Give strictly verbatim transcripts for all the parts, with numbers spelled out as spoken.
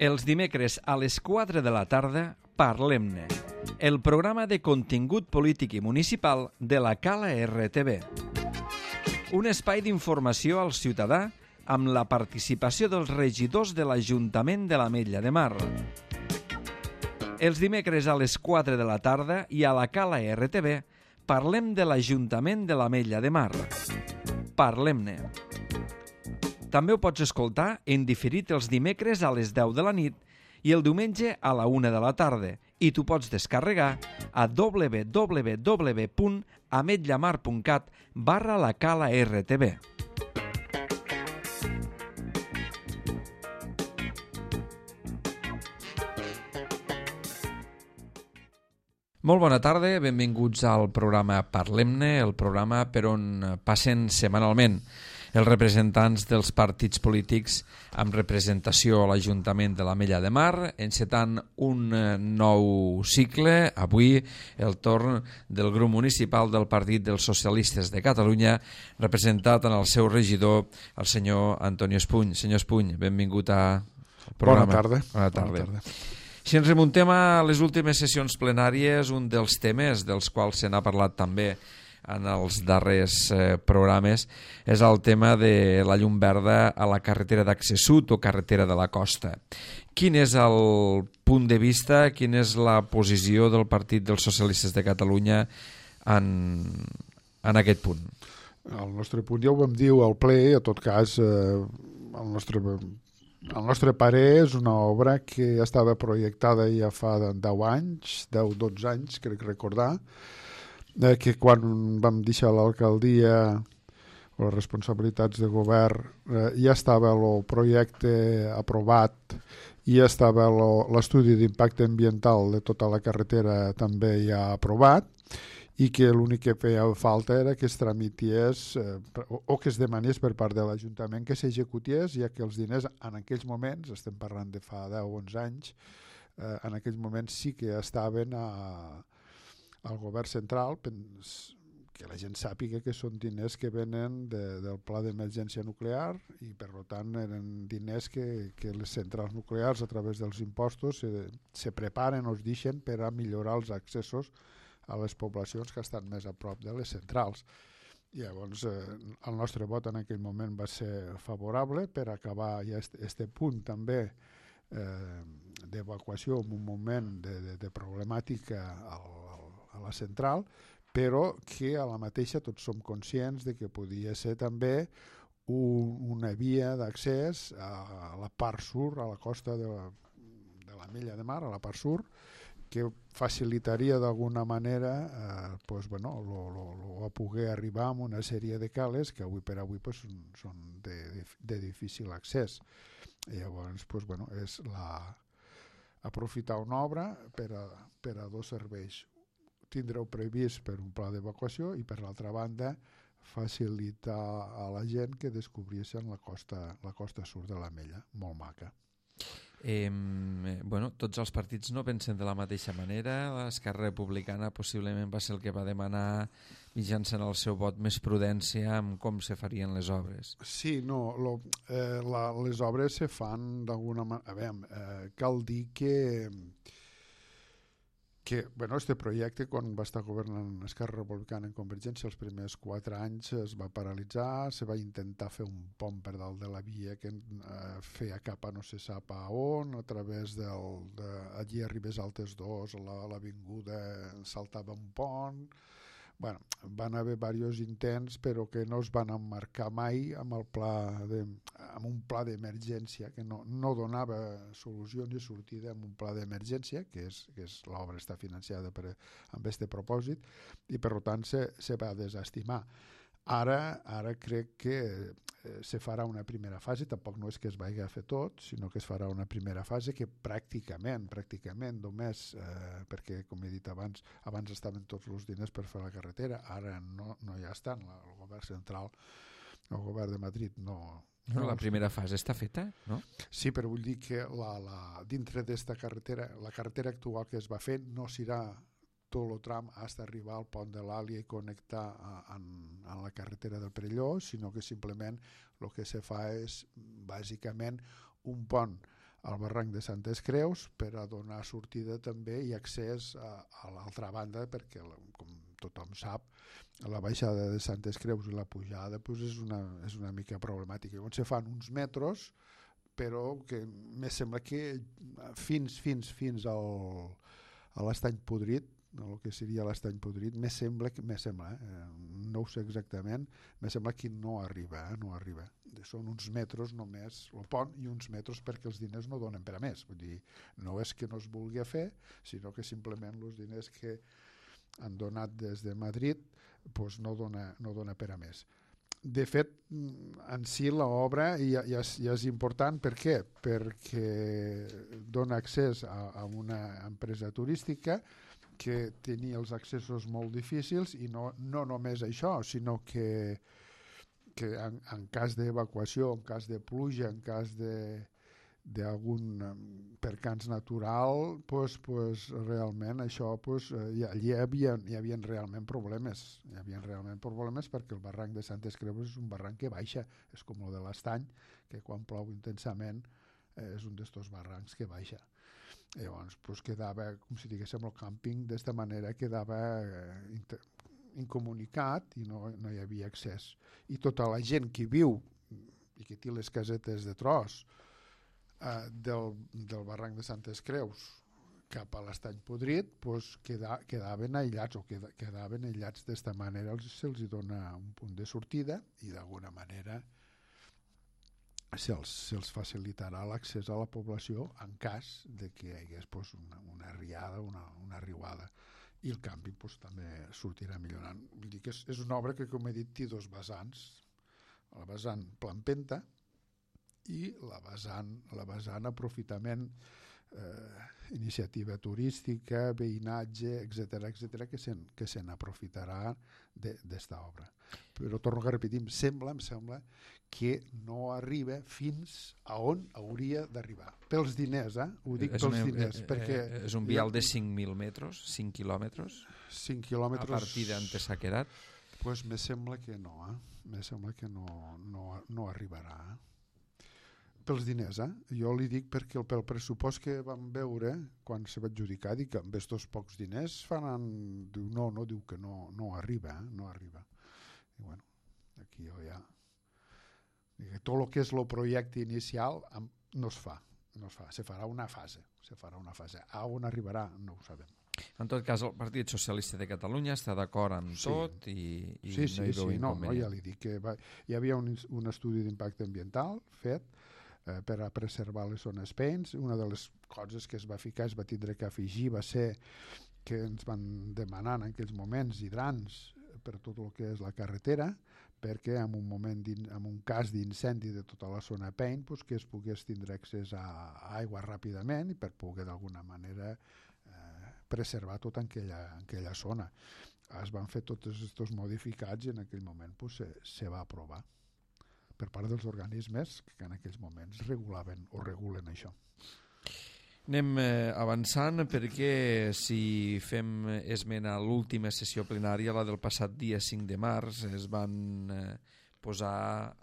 Els dimecres a les quatre de la tarda, Parlem-ne, el programa de contingut polític i municipal de la Cala R T V. Un espai d'informació al ciutadà amb la participació dels regidors de l'Ajuntament de l'Ametlla de Mar. Els dimecres a les quatre de la tarda i a la Cala R T V parlem de l'Ajuntament de l'Ametlla de Mar. Parlem-ne. També ho pots escoltar en diferit els dimecres a les deu de la nit i el diumenge a la una de la tarda i t'ho pots descarregar a w w w punt ametllamar punt cat barra la Cala R T V. Molt bona tarda, benvinguts al programa Parlem-ne, el programa per on passen setmanalment els representants dels partits polítics amb representació a l'Ajuntament de l'Ametlla de Mar, encetant un nou cicle, avui el torn del grup municipal del Partit dels Socialistes de Catalunya, representat en el seu regidor, el senyor Antonio Espuny. Senyor Espuny, benvingut al programa. Bona tarda. Bona tarda. Bona tarda. Si ens remuntem a les últimes sessions plenàries, un dels temes dels quals se n'ha parlat també en els darrers eh, programes és el tema de la llum verda a la carretera d'accés sud o carretera de la costa. Quin és el punt de vista, quina és la posició del Partit dels Socialistes de Catalunya en, en aquest punt? El nostre punt ja ho vam dir al ple, a tot cas eh, el nostre... El nostre parer és una obra que estava projectada ja fa deu anys, deu dotze anys, crec recordar, eh, que quan vam deixar l'alcaldia o les responsabilitats de govern eh, ja estava el projecte aprovat, ja estava l'estudi d'impacte ambiental de tota la carretera també ja aprovat, i que l'únic que feia falta era que es tramités eh, o, o que es demanés per part de l'Ajuntament que s'executés, ja que els diners en aquells moments, estem parlant de fa deu o onze anys, eh, en aquells moments sí que estaven a, al govern central, que la gent sàpiga que són diners que venen de, del pla d'emergència nuclear i per tant eren diners que, que les centrals nuclears a través dels impostos se, se preparen o es deixen per a millorar els accessos a les poblacions que estan més a prop de les centrals. I llavors eh, el nostre vot en aquell moment va ser favorable per acabar ja este, este punt també eh, d'evacuació en un moment de, de, de problemàtica al, al, a la central, però que a la mateixa tots som conscients de que podia ser també un, una via d'accés a, a la part sud, a la costa de la, de l'Ametlla de Mar, a la part sud, que facilitaria d'alguna manera eh, pues, bueno, lo, lo, lo a poder arribar a una sèrie de cales que avui per avui pues, són, són de, de, de difícil accés. I llavors pues, bueno, és la, aprofitar una obra per a, per a dos serveis. Tindreu previst per un pla d'evacuació i per l'altra banda facilitar a la gent que descobrissin la costa, la costa sud de l'Ametlla, molt maca. Eh, bueno, tots els partits no pensen de la mateixa manera. L'Esquerra Republicana possiblement va ser el que va demanar mitjançant el seu vot més prudència amb com se farien les obres. Sí, no, lo, eh, la, les obres se fan d'alguna manera... A veure, eh, cal dir que que bueno, este projecte quan va estar governant Esquerra Republicana en Convergència els primers quatre anys es va paralitzar, se va intentar fer un pont per dalt de la via que eh, feia cap a no se sap a on, a través del, de, allí a Ribes Altes dos, a l'avinguda saltava un pont. Bueno, van haver diversos intents però que no es van emmarcar mai amb, el pla de, amb un pla d'emergència que no, no donava solució ni sortida amb un pla d'emergència que és, que és l'obra està financiada per, amb aquest propòsit i per tant se, se va desestimar. Ara, ara crec que eh, se farà una primera fase, tampoc no és que es vagi a fer tot, sinó que es farà una primera fase que pràcticament, pràcticament només, eh, perquè com he dit abans, abans estaven tots els diners per fer la carretera, ara no, no ja estan, la, el govern central, el govern de Madrid no... No, la primera fase està feta, no? Sí, però vull dir que la, la, dintre d'esta carretera, la carretera actual que es va fer no serà tot el tram fins a arribar al pont de l'Àlia i connectar amb la carretera del Perelló, sinó que simplement el que se fa és bàsicament un pont al barranc de Santes Creus per a donar sortida també i accés a, a l'altra banda, perquè, com tothom sap, la baixada de Santes Creus i la pujada pues, és, una, és una mica problemàtica. Llavors se fan uns metros, però que me sembla que fins, fins, fins al, a l'Estany Podrit, el que seria l'Estany Podrit, me sembla, me sembla eh, no ho sé exactament, me sembla que no arriba, eh, no arriba. Són uns metres només, el pont, i uns metres perquè els diners no donen per a més. Vull dir, no és que no es vulgui fer, sinó que simplement els diners que han donat des de Madrid pues no dona, no dona per a més. De fet, en si l'obra ja, ja, és, ja és important. Per què? Perquè dona accés a, a una empresa turística que tenia els accessos molt difícils i no, no només això, sinó que, que en, en cas d'evacuació, en cas de pluja, en cas de d'algun percans natural, pues, pues, realment això, pues, hi, hi, havia, hi havia realment problemes. Hi havia realment problemes perquè el barranc de Santes Creus és un barranc que baixa, és com el de l'Estany, que quan plou intensament eh, és un d'estos barrancs que baixa. Llavors, pues, quedava, com si diguéssim, el càmping d'esta manera quedava eh, inter, incomunicat i no, no hi havia accés. I tota la gent que viu i que té les casetes de tros Uh, del, del barranc de Santes Creus cap a l'Estany Podrit pues, queda, quedaven aïllats o queda, quedaven aïllats d'esta manera. Els, se'ls dona un punt de sortida i d'alguna manera se'ls, se'ls facilitarà l'accés a la població en cas de que hi hagués pues, una, una riada, una, una riuada, i el canvi pues, també sortirà millorant. Vull dir que és, és una obra que, com he dit, té dos vessants, la vessant Plampenta i la vessant, la vessant aprofitament, eh, iniciativa turística, veïnatge, etcètera, etcètera, que se'n que se n'aprofitarà d'esta obra. Però torno a repetir, em sembla, em sembla que no arriba fins a on hauria d'arribar. Pels diners, eh? Ho dic és pels una, diners. eh, perquè eh, és un vial de cinc mil metres, cinc quilòmetres, cinc quilòmetres a partir d'Ante s'ha quedat. Pues me sembla que no, eh? Me sembla que no, no, no arribarà, eh? Pels diners, eh? Jo li dic perquè el, pel pressupost que vam veure quan se va adjudicar, dic que amb estos pocs diners faran... Diu, no, no, diu que no, no arriba, eh? No arriba. I bueno, aquí jo ja... Dic, tot el que és el projecte inicial no es fa, no es fa, se farà una fase, se farà una fase. A on arribarà no ho sabem. En tot cas, el Partit Socialista de Catalunya està d'acord amb sí. tot i, i sí, sí, no hi veu sí, no, no, inconvenient. ja li dic que va, hi havia un, un estudi d'impacte ambiental fet eh, per a preservar les zones pens. Una de les coses que es va ficar, es va tindre que afegir, va ser que ens van demanar en aquells moments hidrants per tot el que és la carretera, perquè en un moment en un cas d'incendi de tota la zona Pein pues, que es pogués tindre accés a, a aigua ràpidament i per poder d'alguna manera eh, preservar tota aquella, aquella zona. Es van fer tots aquests modificats i en aquell moment pues, se, se va aprovar per part dels organismes que en aquells moments regulaven o regulen això. Anem eh, avançant perquè si fem esment a l'última sessió plenària, la del passat dia cinc de març, es van eh, posar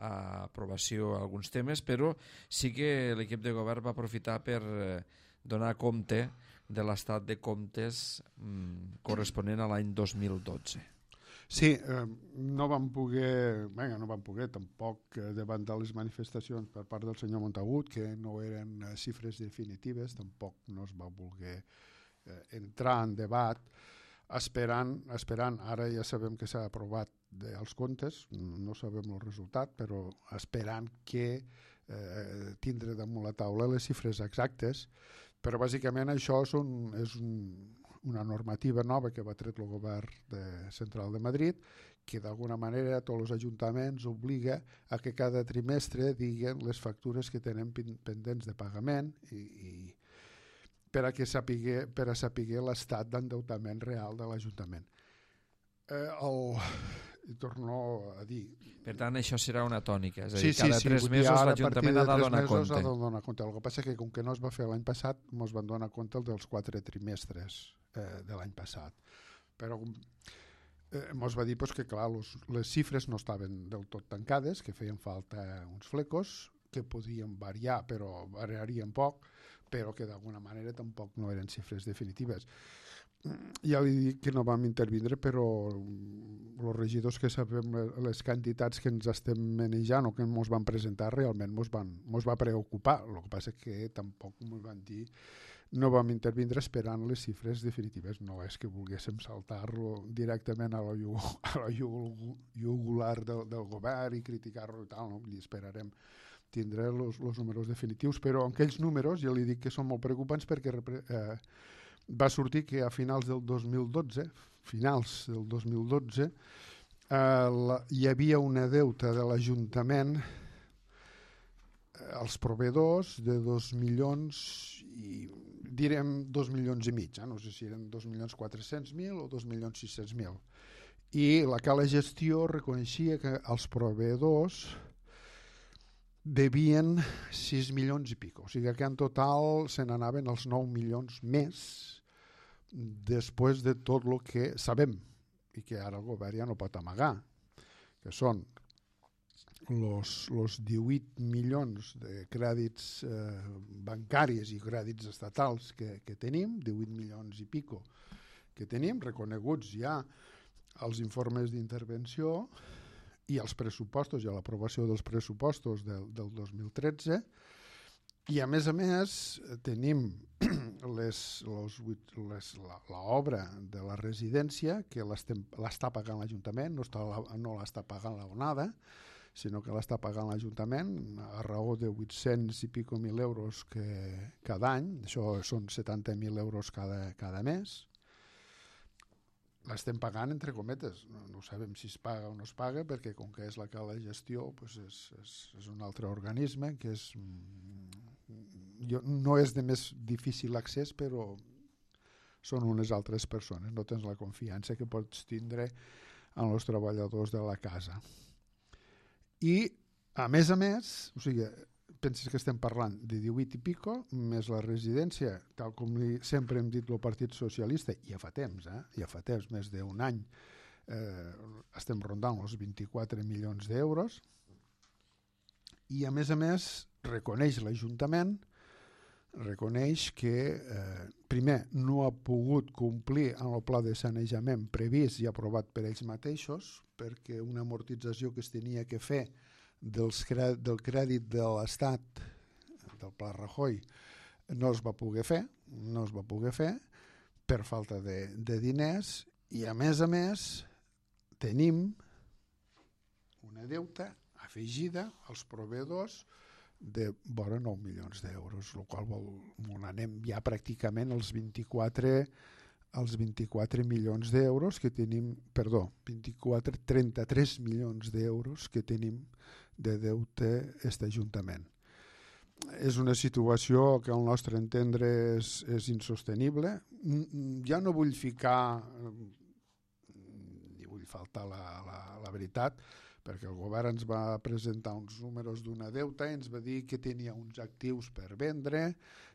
a aprovació alguns temes, però sí que l'equip de govern va aprofitar per eh, donar compte de l'estat de comptes mm, corresponent a l'any dos mil dotze. Sí, eh, no vam poder, venga, no vam poder tampoc eh, davant de les manifestacions per part del senyor Montagut, que no eren eh, xifres definitives, tampoc no es va voler eh, entrar en debat, esperant, esperant, ara ja sabem que s'ha aprovat de, els comptes, no sabem el resultat, però esperant que eh, tindre damunt la taula les xifres exactes, però bàsicament això és, un, és un, una normativa nova que va tret el govern de central de Madrid, que d'alguna manera a tots els ajuntaments obliga a que cada trimestre diguen les factures que tenen pendents de pagament i, i per a que sapiguer, per a sapiguer l'estat d'endeutament real de l'Ajuntament. Eh, el, torno a dir... Per tant, això serà una tònica, és a sí, dir, cada sí, tres sí, mesos l'Ajuntament ha de donar compte. Ha de donar compte. El que passa que com que no es va fer l'any passat, ens van donar compte els dels quatre trimestres eh, de l'any passat. Però eh, ens va dir pues, que clar, los, les xifres no estaven del tot tancades, que feien falta uns flecos, que podien variar, però variarien poc, però que d'alguna manera tampoc no eren xifres definitives. Ja li dic que no vam intervindre, però els regidors que sabem les quantitats que ens estem manejant o que ens van presentar realment ens van, mos va preocupar. El que passa és que tampoc ens van dir, no vam intervindre esperant les xifres definitives. No és que volguéssim saltar-lo directament a la, a la jugular del, del govern i criticar-lo i tal, no? I esperarem tindré els números definitius, però aquells números ja li dic que són molt preocupants perquè eh, va sortir que a finals del dos mil dotze, finals del dos mil dotze, eh, la, hi havia una deuta de l'Ajuntament eh, als proveïdors de dos milions i direm dos milions i mig, eh? No sé si eren dos milions quatre-cents mil o dos milions sis-cents mil. I la Cala Gestió reconeixia que els proveïdors devien sis milions i pico, o sigui que en total se n'anaven els nou milions més després de tot el que sabem i que ara el govern ja no pot amagar, que són els divuit milions de crèdits eh, bancaris i crèdits estatals que, que tenim, divuit milions i pico que tenim, reconeguts ja als informes d'intervenció i als pressupostos i a l'aprovació dels pressupostos del, del dos mil tretze, i a més a més tenim les, les, les, l'obra de la residència que l'està pagant l'Ajuntament, no, està, no l'està pagant l'Onada, sinó que l'està pagant l'Ajuntament a raó de vuit-cents i pico mil euros que, cada any, això són setanta mil euros cada, cada mes. L'estem pagant entre cometes, no, no sabem si es paga o no es paga, perquè com que és la Cala Gestió pues és, és, és un altre organisme que és, jo, no és de més difícil accés, però són unes altres persones, no tens la confiança que pots tindre en els treballadors de la casa. I a més a més, o sigui, penses que estem parlant de divuit i pico, més la residència, tal com sempre hem dit el Partit Socialista, ja fa temps, eh? ja fa temps, més d'un any, eh, estem rondant els vint-i-quatre milions d'euros, i a més a més reconeix l'Ajuntament, reconeix que eh, primer no ha pogut complir amb el pla de sanejament previst i aprovat per ells mateixos, perquè una amortització que es tenia que fer dels, del crèdit de l'Estat, del Pla Rajoy, no es va poder fer, no es va poder fer per falta de, de diners, i a més a més tenim una deuta afegida als proveïdors de vora nou milions d'euros, el qual vol, on anem ja pràcticament als vint-i-quatre els vint-i-quatre milions d'euros que tenim, perdó, vint-i-quatre, trenta-tres milions d'euros que tenim de deute aquest Ajuntament. És una situació que al nostre entendre és, és insostenible. Ja no vull ficar, ni vull faltar la, la, la veritat, perquè el govern ens va presentar uns números d'una deuta i ens va dir que tenia uns actius per vendre,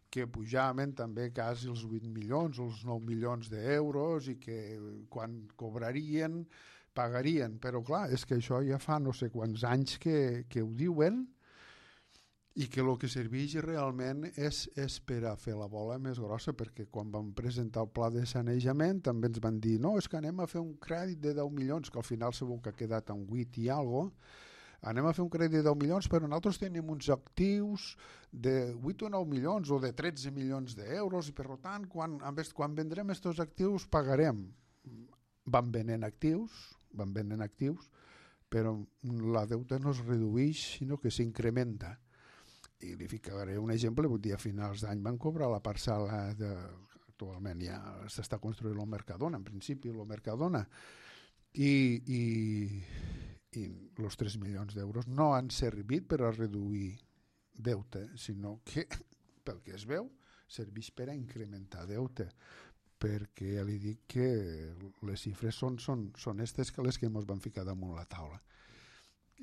que pujaven també quasi els vuit milions o els nou milions d'euros i que quan cobrarien pagarien, però clar, és que això ja fa no sé quants anys que, que ho diuen i que el que serveix realment és, és per a fer la bola més grossa, perquè quan vam presentar el pla de sanejament també ens van dir no, és que anem a fer un crèdit de deu milions, que al final segur que ha quedat en vuit i alguna cosa, anem a fer un crèdit de deu milions, però nosaltres tenim uns actius de vuit o nou milions o de tretze milions d'euros i per tant, quan, quan vendrem aquests actius pagarem. Van venent actius, van venent actius, però la deuta no es redueix, sinó que s'incrementa. I li ficaré un exemple, vull dir, a finals d'any van cobrar la parcel·la de, actualment ja s'està construint el Mercadona, en principi el Mercadona, i, i, i els tres milions d'euros no han servit per a reduir deute, sinó que, pel que es veu, serveix per a incrementar deute, perquè ja li dic que les xifres són, són, són aquestes que les que ens van ficar damunt la taula.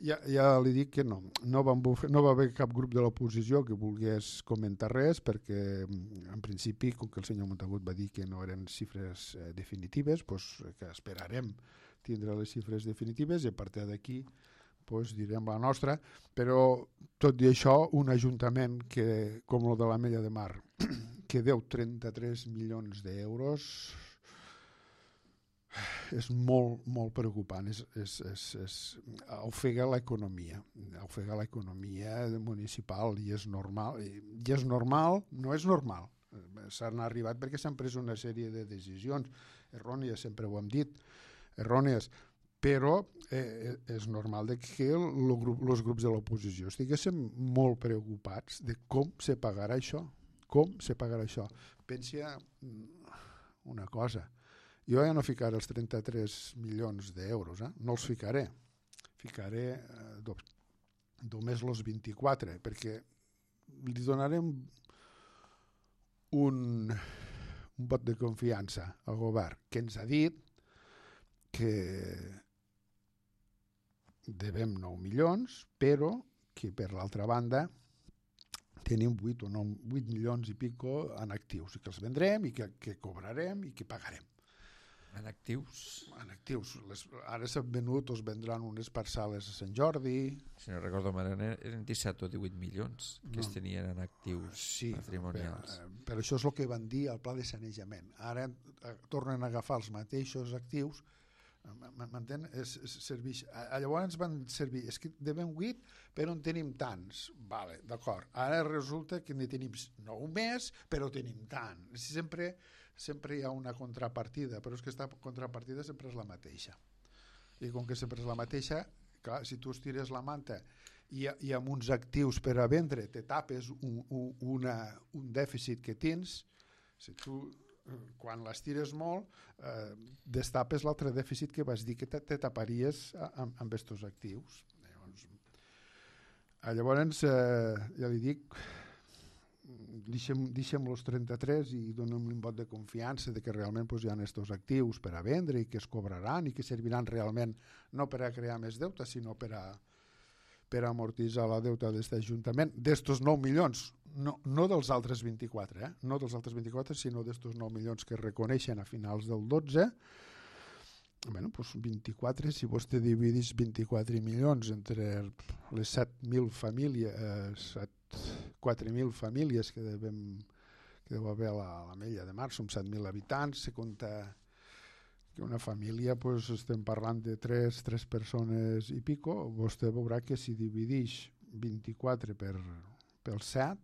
Ja, ja li dic que no, no, van bufer, no va haver cap grup de l'oposició que volgués comentar res, perquè en principi, com que el senyor Montagut va dir que no eren xifres eh, definitives, doncs que esperarem tindre les xifres definitives i a partir d'aquí doncs direm la nostra, però tot i això, un ajuntament que, com el de l'Ametlla de Mar, que deu trenta-tres milions d'euros, és molt, molt preocupant, és, és, és, és, ofega l'economia, ofega l'economia municipal i és normal, i és normal, no és normal, s'han arribat perquè s'han pres una sèrie de decisions errònies, sempre ho hem dit, errònies, però eh, és normal de que els grup, grups de l'oposició estiguessin molt preocupats de com se pagarà això, com se pagarà això. Pensa una cosa, jo ja no ficaré els trenta-tres milions d'euros, eh? No els ficaré, ficaré eh, do, només els vint-i-quatre, perquè li donarem un, un vot de confiança al govern que ens ha dit que devem nou milions, però que per l'altra banda tenim vuit o nou, vuit milions i pico en actius, i que els vendrem i que, que cobrarem i que pagarem. En actius? En actius. Les, ara s'han venut o es vendran unes parcel·les a Sant Jordi. Si no recordo malament, eren disset o divuit milions que no. es tenien en actius sí, patrimonials. Per, per això és el que van dir al pla de sanejament. Ara eh, tornen a agafar els mateixos actius, m'entén? Es, es serveix, llavors van servir, és que devem vuit però en tenim tants, vale, d'acord, ara resulta que ne tenim nou més però tenim tant, sempre, sempre hi ha una contrapartida, però és que aquesta contrapartida sempre és la mateixa, i com que sempre és la mateixa, clar, si tu estires la manta i, i amb uns actius per a vendre te tapes un, un, una, un dèficit que tens, si tu quan les tires molt eh, destapes l'altre dèficit que vas dir que te, te taparies amb, amb estos actius. Llavors, llavors eh, ja li dic, deixem, deixem els trenta-tres i donem un vot de confiança de que realment pues, hi ha estos actius per a vendre i que es cobraran i que serviran realment no per a crear més deute sinó per a per amortitzar la deuta d'aquest Ajuntament, d'estos nou milions, no, no dels altres vint-i-quatre, eh? no dels altres vint-i-quatre, sinó d'estos nou milions que es reconeixen a finals del dotze. Bueno, doncs vint-i-quatre, si vostè dividís vint-i-quatre milions entre les set mil famílies, quatre mil famílies que devem que deu haver a l'Ametlla de Mar, som set mil habitants, se compta que una família, pues, estem parlant de tres, tres persones i pico, vostè veurà que si divideix vint-i-quatre per, per set,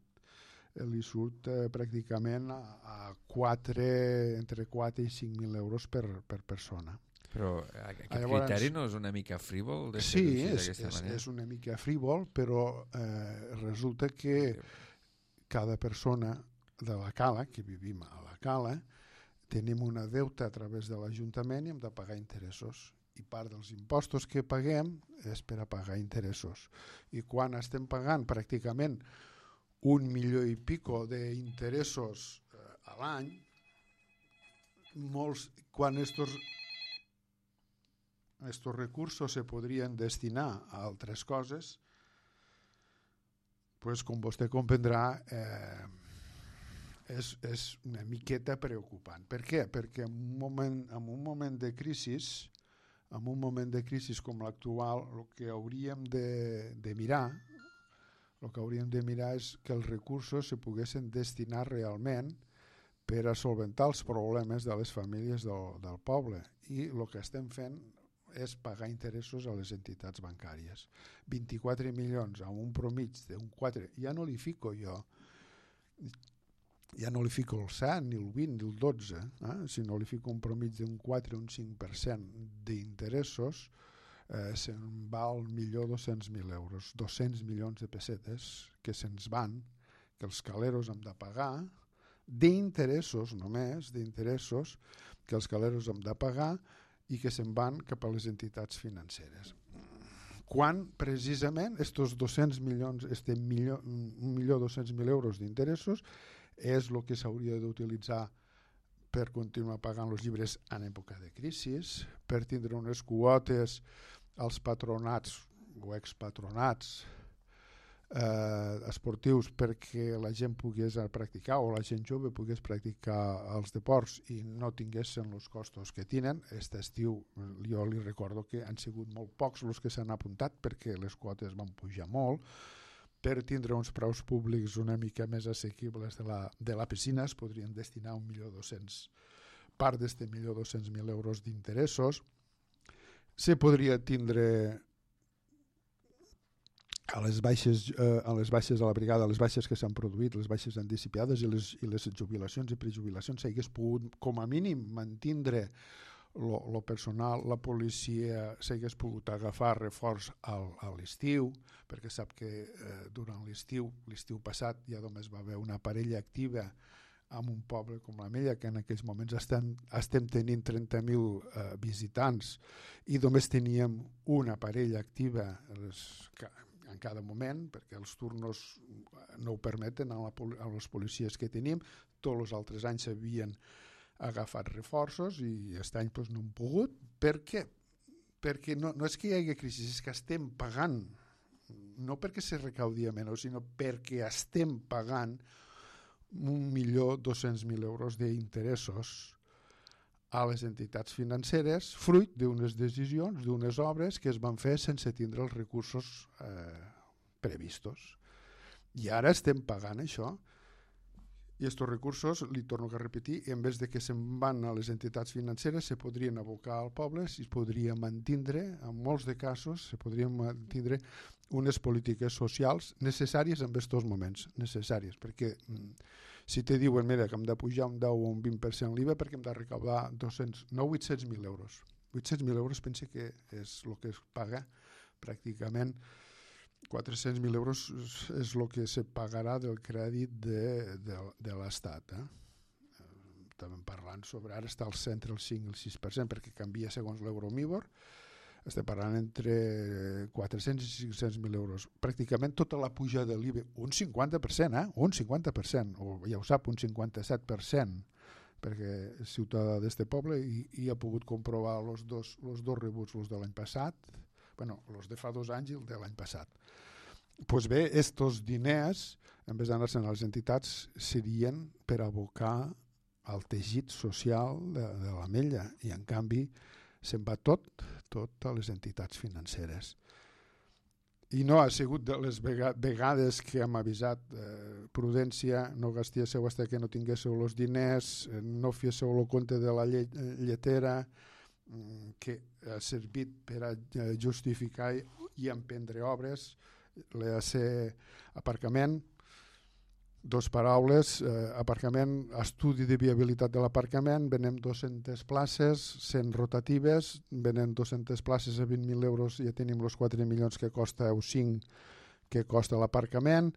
li surt eh, pràcticament a, a quatre, entre quatre i cinc mil euros per, per persona. Però aquest Llavors, criteri no és una mica frívol? De sí, és, és, és una mica frívol, però eh, resulta que cada persona de la Cala, que vivim a la Cala, tenim una deuta a través de l'Ajuntament i hem de pagar interessos. I part dels impostos que paguem és per a pagar interessos. I quan estem pagant pràcticament un milió i pico d'interessos eh, a l'any, molts, quan estos, estos recursos se podrien destinar a altres coses, pues, com vostè comprendrà, eh, És, és una miqueta preocupant. Per què? Perquè en un moment, en un moment de crisi, en un moment de crisi com l'actual, el que hauríem de, de mirar, el que hauríem de mirar és que els recursos se poguessin destinar realment per a solventar els problemes de les famílies del, del poble. I el que estem fent és pagar interessos a les entitats bancàries. vint-i-quatre milions amb un promig d'un quatre, ja no li fico jo ja no li fico el set, ni el vint, ni el dotze, eh? sinó li fico un promig d'un quatre o un cinc per cent d'interessos, eh, se'n va al millor dos-cents mil euros, dos-cents milions de pessetes que se'ns van, que els caleros hem de pagar, d'interessos només, d'interessos que els caleros hem de pagar i que se'n van cap a les entitats financeres. Quan precisament estos dos-cents milions, este milió, un milió dos-cents mil euros d'interessos és el que s'hauria d'utilitzar per continuar pagant els llibres en època de crisi, per tindre unes quotes als patronats o expatronats eh, esportius perquè la gent pogués practicar o la gent jove pogués practicar els deports i no tinguessin els costos que tenen. Aquest estiu jo li recordo que han sigut molt pocs els que s'han apuntat perquè les quotes van pujar molt. Per tindre uns preus públics una mica més assequibles de la, de la piscina es podrien destinar un milió dos-cents part d'este milió dos-cents mil euros d'interessos. Se podria tindre a les baixes, eh, a les baixes de la brigada, les baixes que s'han produït, les baixes anticipades i les, i les jubilacions i prejubilacions, s'hagués pogut, com a mínim, mantindre el personal, la policia s'hagués pogut agafar reforç al, a l'estiu, perquè sap que eh, durant l'estiu, l'estiu passat ja només va haver una parella activa en un poble com la Mella, que en aquells moments estem, estem tenint trenta mil eh, visitants i només teníem una parella activa les, en cada moment, perquè els turnos no ho permeten a, la, a les policies que tenim. Tots els altres anys s'havien agafat reforços i aquest any doncs, no hem pogut. Per què? Perquè no, no és que hi hagi crisi, és que estem pagant, no perquè se recaudi menys, sinó perquè estem pagant un milió dos-cents mil euros d'interessos a les entitats financeres, fruit d'unes decisions, d'unes obres que es van fer sense tindre els recursos eh, previstos. I ara estem pagant això. I aquests recursos, li torno a repetir, en vez de que se'n van a les entitats financeres, se podrien abocar al poble, si es podria mantindre, en molts de casos, se podrien mantindre unes polítiques socials necessàries en aquests moments, necessàries, perquè si te diuen, mira, que hem de pujar un deu o un vint per cent l'I V A perquè hem de recaudar dos-cents, no vuit-cents mil euros. vuit-cents mil euros pense que és el que es paga pràcticament. quatre-cents mil euros és el que se pagarà del crèdit de, de, de l'Estat. Eh? Estàvem parlant sobre, ara està al centre el cinc i el sis per cent perquè canvia segons l'Euromibor. Estem parlant entre quatre-cents i cinc-cents mil euros. Pràcticament tota la puja de l'I V A, un cinquanta per cent, eh? un cinquanta per cent, o ja ho sap, un cinquanta-set per cent, perquè és ciutadà d'este poble i, i ha pogut comprovar els dos, los dos rebuts, els de l'any passat, bueno, els de fa dos anys i el de l'any passat. Doncs pues bé, estos diners, en vez d'anar-se'n a les entitats, serien per abocar al teixit social de, de la Mella i en canvi se'n va tot, tot a les entitats financeres. I no ha sigut de les vegades que hem avisat eh, prudència, no gastéssiu fins que no tinguéssiu els diners, eh, no féssiu el compte de la lle lletera, eh, que ha servit per a justificar i emprendre obres, l'E A C aparcament, dos paraules, eh, aparcament, estudi de viabilitat de l'aparcament, venem dues-centes places, cent rotatives, venem dues-centes places a vint mil euros, ja tenim els quatre milions que costa, o cinc que costa l'aparcament,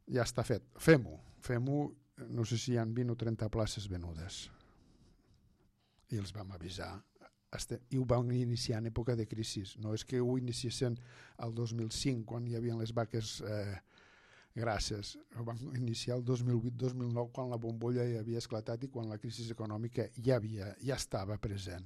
ja està fet. Fem-ho, fem-ho, no sé si hi ha vint o trenta places venudes. I els vam avisar. I ho vam iniciar en època de crisi. No és que ho iniciessin el dos mil cinc, quan hi havia les vaques eh, gràcies. Ho vam iniciar el dos mil vuit dos mil nou, quan la bombolla ja havia esclatat i quan la crisi econòmica ja, havia, ja estava present.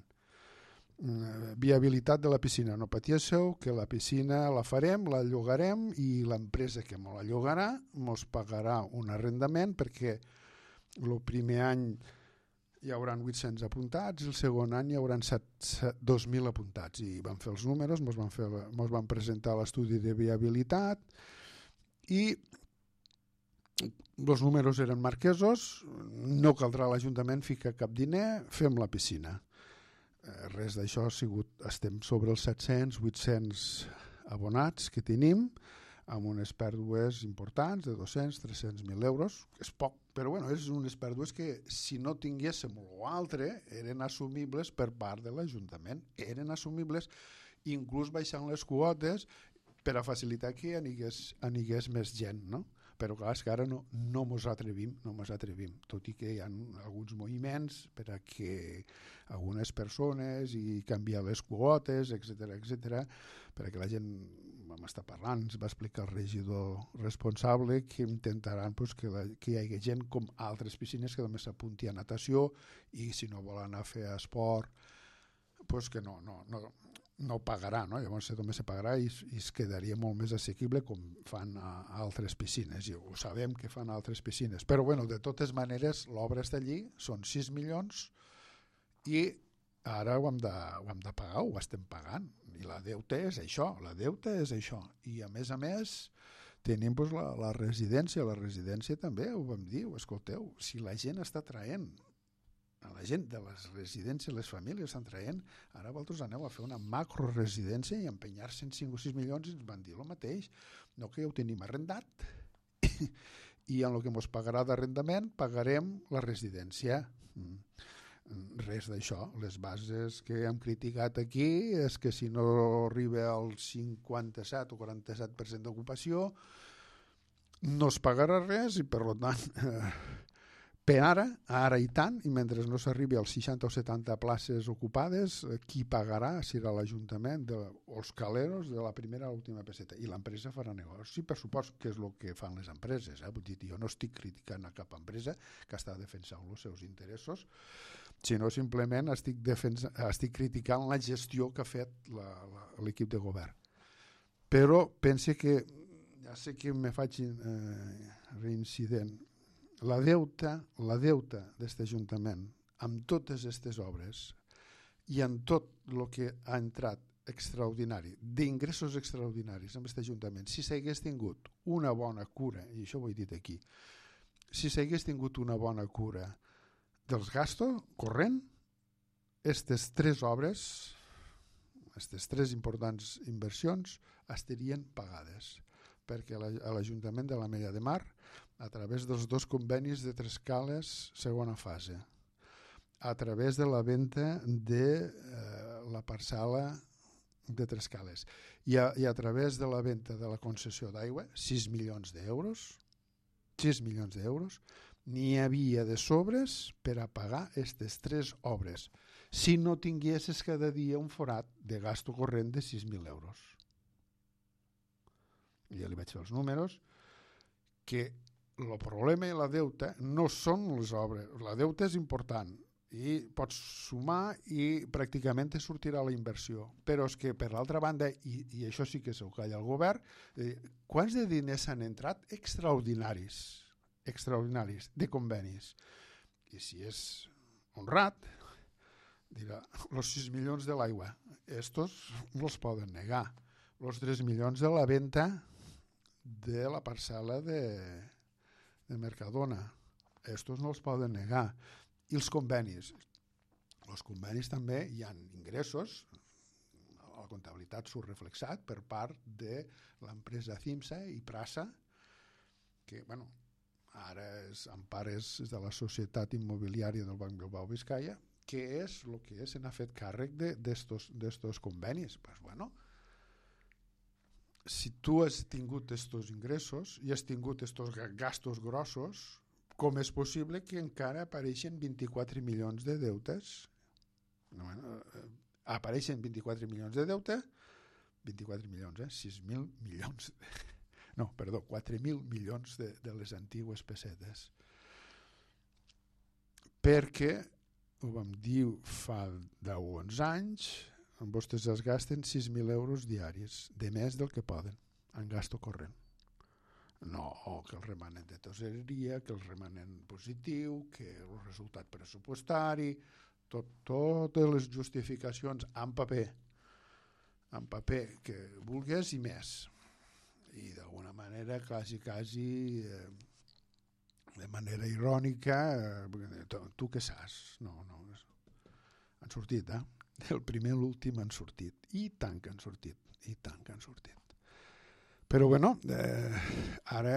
Uh, viabilitat de la piscina. No patíssiu, que la piscina la farem, la llogarem i l'empresa que me la llogarà mos pagarà un arrendament perquè el primer any hi haurà vuit-cents apuntats i el segon any hi haurà dos mil apuntats. I vam fer els números, mos van, fer, mos van presentar l'estudi de viabilitat i els números eren marquesos, no caldrà a l'Ajuntament ficar cap diner, fem la piscina. Eh, res d'això ha sigut, estem sobre els set-cents vuit-cents abonats que tenim, amb unes pèrdues importants de dos-cents a tres-cents mil euros, és poc, però bueno, és unes pèrdues que si no tinguéssim l'altre eren assumibles per part de l'Ajuntament, eren assumibles inclús baixant les quotes per a facilitar que anigués, anigués més gent, no? Però clar, és que ara no, no mos atrevim, no mos atrevim, tot i que hi ha alguns moviments per a que algunes persones i canviar les quotes, etcètera, etcètera, perquè la gent vam estar parlant, ens va explicar el regidor responsable que intentaran pues, que, la, que hi hagi gent com altres piscines que només s'apunti a natació i si no vol anar a fer esport, pues que no, no, no, no pagarà, no? Llavors només se pagarà i, i es quedaria molt més assequible com fan a, a altres piscines, i ho sabem que fan a altres piscines, però bueno, de totes maneres l'obra està allí, són sis milions i ara ho hem, de, ho hem de pagar, ho estem pagant, i la deuta és això, la deuta és això, i a més a més tenim doncs, la, la residència, la residència també, ho vam dir, escolteu, si la gent està traient a la gent de les residències, les famílies estan traient, ara vosaltres aneu a fer una macroresidència i empenyar cent cinc o sis milions i ens van dir el mateix, no, que ja ho tenim arrendat i en el que ens pagarà d'arrendament pagarem la residència. Res d'això. Les bases que hem criticat aquí és que si no arriba al cinquanta-set o quaranta-set per cent d'ocupació no es pagarà res i per tant eh, per ara, ara i tant, i mentre no s'arribi als seixanta o setanta places ocupades, qui pagarà serà l'Ajuntament de, o els caleros de la primera a l'última peseta, i l'empresa farà negoci, per supost que és el que fan les empreses. Eh? Vull dir, jo no estic criticant a cap empresa que està defensant els seus interessos, sinó simplement estic, defensa, estic criticant la gestió que ha fet l'equip de govern. Però pense que, ja sé que me faig eh, reincident, la deuta, la deuta d'aquest Ajuntament amb totes aquestes obres i en tot el que ha entrat extraordinari, d'ingressos extraordinaris amb aquest Ajuntament, si s'hagués tingut una bona cura, i això ho he dit aquí, si s'hagués tingut una bona cura dels gastos corrent, aquestes tres obres, aquestes tres importants inversions estarien pagades, perquè a l'Ajuntament de l'Ametlla de Mar, a través dels dos convenis de Trescales segona fase, a través de la venda de eh, la parcel·la de Trescales i a, i a través de la venda de la concessió d'aigua, sis milions d'euros, sis milions d'euros, n'hi havia de sobres per a pagar aquestes tres obres, si no tinguessis cada dia un forat de gasto corrent de sis mil euros. Ja li vaig fer els números, que el problema i la deuta no són les obres. La deuta és important i pots sumar i pràcticament te sortirà la inversió. Però és que, per l'altra banda, i, i això sí que s'ho calla el govern, eh, quants de diners han entrat extraordinaris, extraordinaris, de convenis? I si és honrat, dirà, els sis milions de l'aigua, estos no els poden negar. Els tres milions de la venda de la parcel·la de, de Mercadona, estos no els poden negar. I els convenis. Els convenis també hi ha ingressos, a la comptabilitat surt reflexat per part de l'empresa CIMSA i Prasa, que, bueno, ara és en part és de la societat immobiliària del Banc Bilbao Vizcaya, que és el que se n'ha fet càrrec d'estos convenis. Pues bueno, si tu has tingut estos ingressos i has tingut estos gastos grossos, com és possible que encara apareixen vint-i-quatre milions de deutes? Bueno, apareixen vint-i-quatre milions de deute, vint-i-quatre milions, eh? sis mil milions, de... no, perdó, quatre mil milions de, de les antigues pessetes. Perquè, ho vam dir fa deu o onze anys, vostès es gasten sis mil euros diaris, de més del que poden, en gasto corrent. No, que el remanent de tesoreria, que el remanent positiu, que el resultat pressupostari, tot, totes les justificacions en paper, en paper que vulguis i més. I d'alguna manera, quasi, quasi, eh, de manera irònica, eh, tu, tu què saps? No, no, han sortit, eh? El primer i l'últim han sortit, i tant que han sortit, i tant que han sortit. Però bueno, eh, ara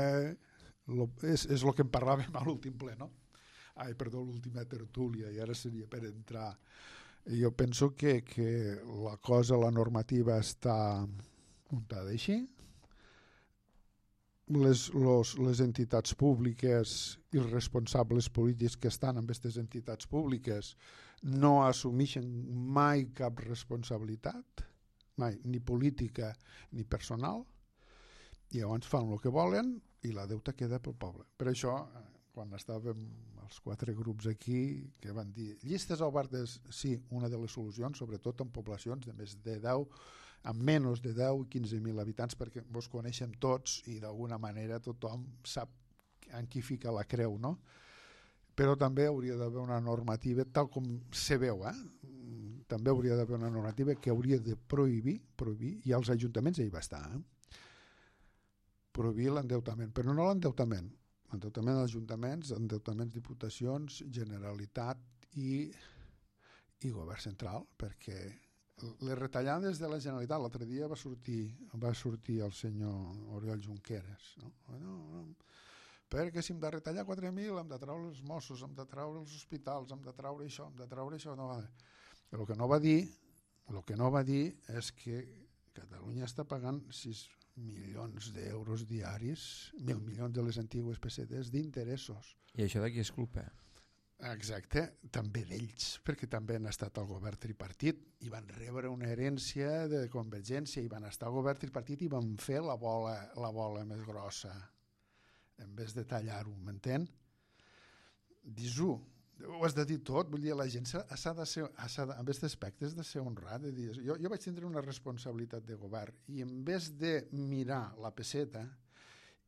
lo, és, és el que en parlàvem a l'últim ple, no? Ai, perdó, l'última tertúlia, i ara seria per entrar. Jo penso que, que la cosa, la normativa està muntada així. Les, los, les entitats públiques i els responsables polítics que estan amb aquestes entitats públiques no assumeixen mai cap responsabilitat, mai, ni política ni personal, i llavors fan el que volen i la deuta queda pel poble. Per això, quan estàvem els quatre grups aquí, que van dir llistes obertes, sí, una de les solucions, sobretot en poblacions de més de deu, amb menys de deu i quinze mil habitants, perquè vos coneixem tots i d'alguna manera tothom sap en qui fica la creu, no? Però també hauria d'haver una normativa, tal com se veu, eh? també hauria d'haver una normativa que hauria de prohibir, prohibir, i als ajuntaments hi va estar, eh? prohibir l'endeutament, però no l'endeutament, l'endeutament dels ajuntaments, endeutaments diputacions, Generalitat i, i govern central, perquè les retallades de la Generalitat, l'altre dia va sortir, va sortir el senyor Oriol Junqueras, no? No, no, perquè si hem de retallar quatre mil hem de treure els Mossos, hem de treure els hospitals, hem de treure això, hem de treure això, no va. El que no va dir, el que no va dir és que Catalunya està pagant sis milions d'euros diaris, mil milions de les antigues pessetes d'interessos. I això de qui és culpa? Exacte, també d'ells, perquè també han estat al govern tripartit i van rebre una herència de Convergència i van estar al govern tripartit i van fer la bola, la bola més grossa en vez de tallar-ho, m'entén? Dis-ho, ho has de dir tot, vull dir, la gent s'ha de ser, s'ha de, en aquest aspecte has de ser honrat, de dir, jo, jo vaig tindre una responsabilitat de govern i en vez de mirar la pesseta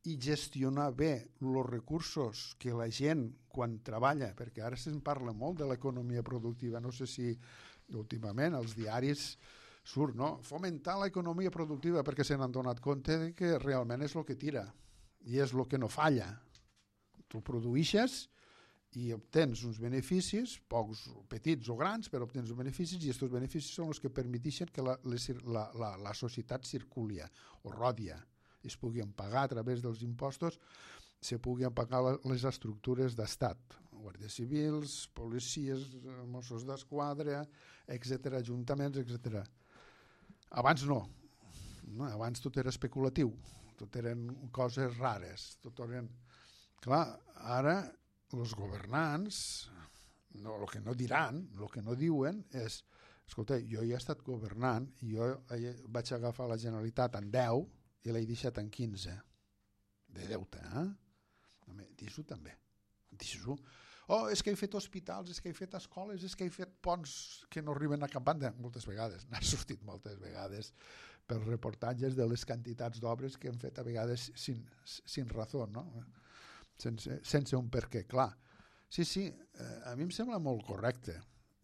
i gestionar bé els recursos que la gent quan treballa, perquè ara se'n parla molt de l'economia productiva, no sé si últimament els diaris surt, no? Fomentar l'economia productiva perquè se n'han donat compte de que realment és el que tira i és el que no falla. Tu produïixes i obtens uns beneficis, pocs, petits o grans, però obtens uns beneficis i aquests beneficis són els que permeteixen que la, la, la, la societat circuli o rodia, es puguin pagar a través dels impostos, se puguin pagar les estructures d'estat, guàrdies civils, policies, Mossos d'Esquadra, etcètera, ajuntaments, etcètera. Abans no. no, abans tot era especulatiu, tot eren coses rares, tot eren... Clar, ara els governants, no, el que no diran, el que no diuen és, escolta, jo ja he estat governant i jo vaig agafar la Generalitat en deu i l'he deixat en quinze de deute, eh? Dis-ho també, dis-ho. Oh, és que he fet hospitals, és que he fet escoles, és que he fet ponts que no arriben a cap banda, moltes vegades, n'ha sortit moltes vegades pels reportatges de les quantitats d'obres que han fet a vegades sin, sin raó, no? Sense, sense un per què, clar. Sí, sí, eh, a mi em sembla molt correcte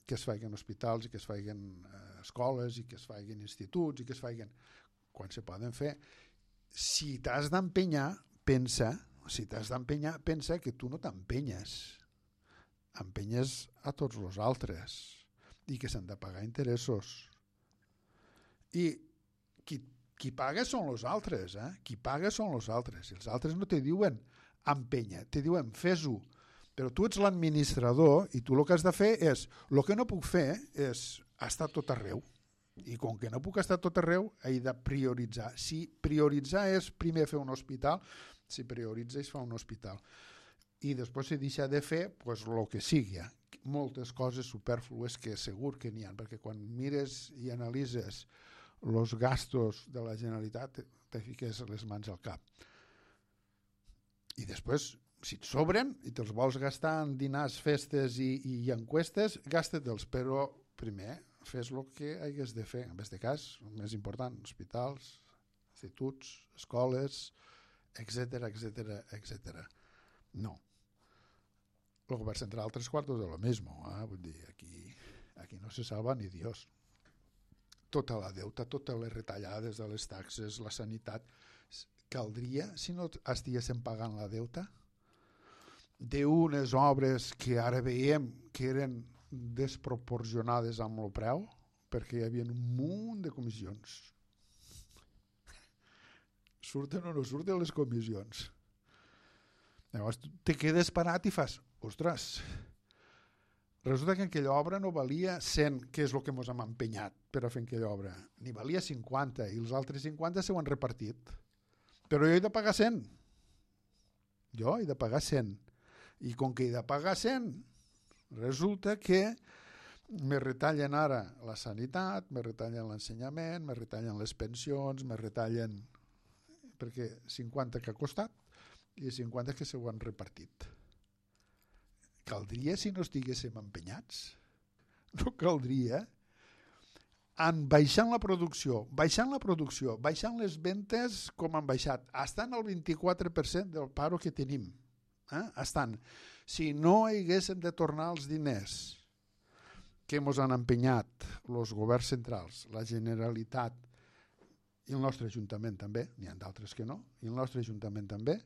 que es facin hospitals i que es facin eh, escoles i que es facin instituts i que es facin quan se poden fer. Si t'has d'empenyar, pensa, si t'has d'empenyar, pensa que tu no t'empenyes. Empenyes a tots els altres i que s'han de pagar interessos. I qui, qui paga són els altres, eh? Qui paga són els altres. I els altres no te diuen empenya, te diuen fes-ho, però tu ets l'administrador i tu el que has de fer és, el que no puc fer és estar tot arreu, i com que no puc estar tot arreu he de prioritzar. Si prioritzar és primer fer un hospital, si prioritza és fer un hospital i després si deixa de fer pues, el que sigui, moltes coses superflues que segur que n'hi ha, perquè quan mires i analitzes els gastos de la Generalitat te fiques les mans al cap. I després, si et sobren i te'ls vols gastar en dinars, festes i, i encuestes, gasta-te'ls, però primer fes el que hagués de fer. En aquest cas, el més important, hospitals, instituts, escoles, etcètera, etcètera, etcètera. No. El govern central tres quartos de lo mismo, eh? Vull dir, aquí, aquí no se salva ni Dios. Tota la deuta, totes les retallades de les taxes, la sanitat... Caldria, si no estiguéssim pagant la deuta, d'unes obres que ara veiem que eren desproporcionades amb el preu, perquè hi havia un munt de comissions. Surten o no surten les comissions. Llavors te quedes parat i fas, ostres, resulta que aquella obra no valia cent, que és el que ens hem empenyat per a fer aquella obra, ni valia cinquanta, i els altres cinquanta s'ho han repartit. Però jo he de pagar cent. Jo he de pagar cent. I com que he de pagar cent, resulta que me retallen ara la sanitat, me retallen l'ensenyament, me retallen les pensions, me retallen... perquè cinquanta que ha costat i cinquanta que s'ho han repartit. caldria si no estiguéssim empenyats. No caldria. En baixant la producció, baixant la producció, baixant les ventes com han baixat, estan al vint-i-quatre per cent del paro que tenim. Eh? Estan. Si no haguéssim de tornar els diners que ens han empenyat els governs centrals, la Generalitat i el nostre Ajuntament també, n'hi ha d'altres que no, i el nostre Ajuntament també,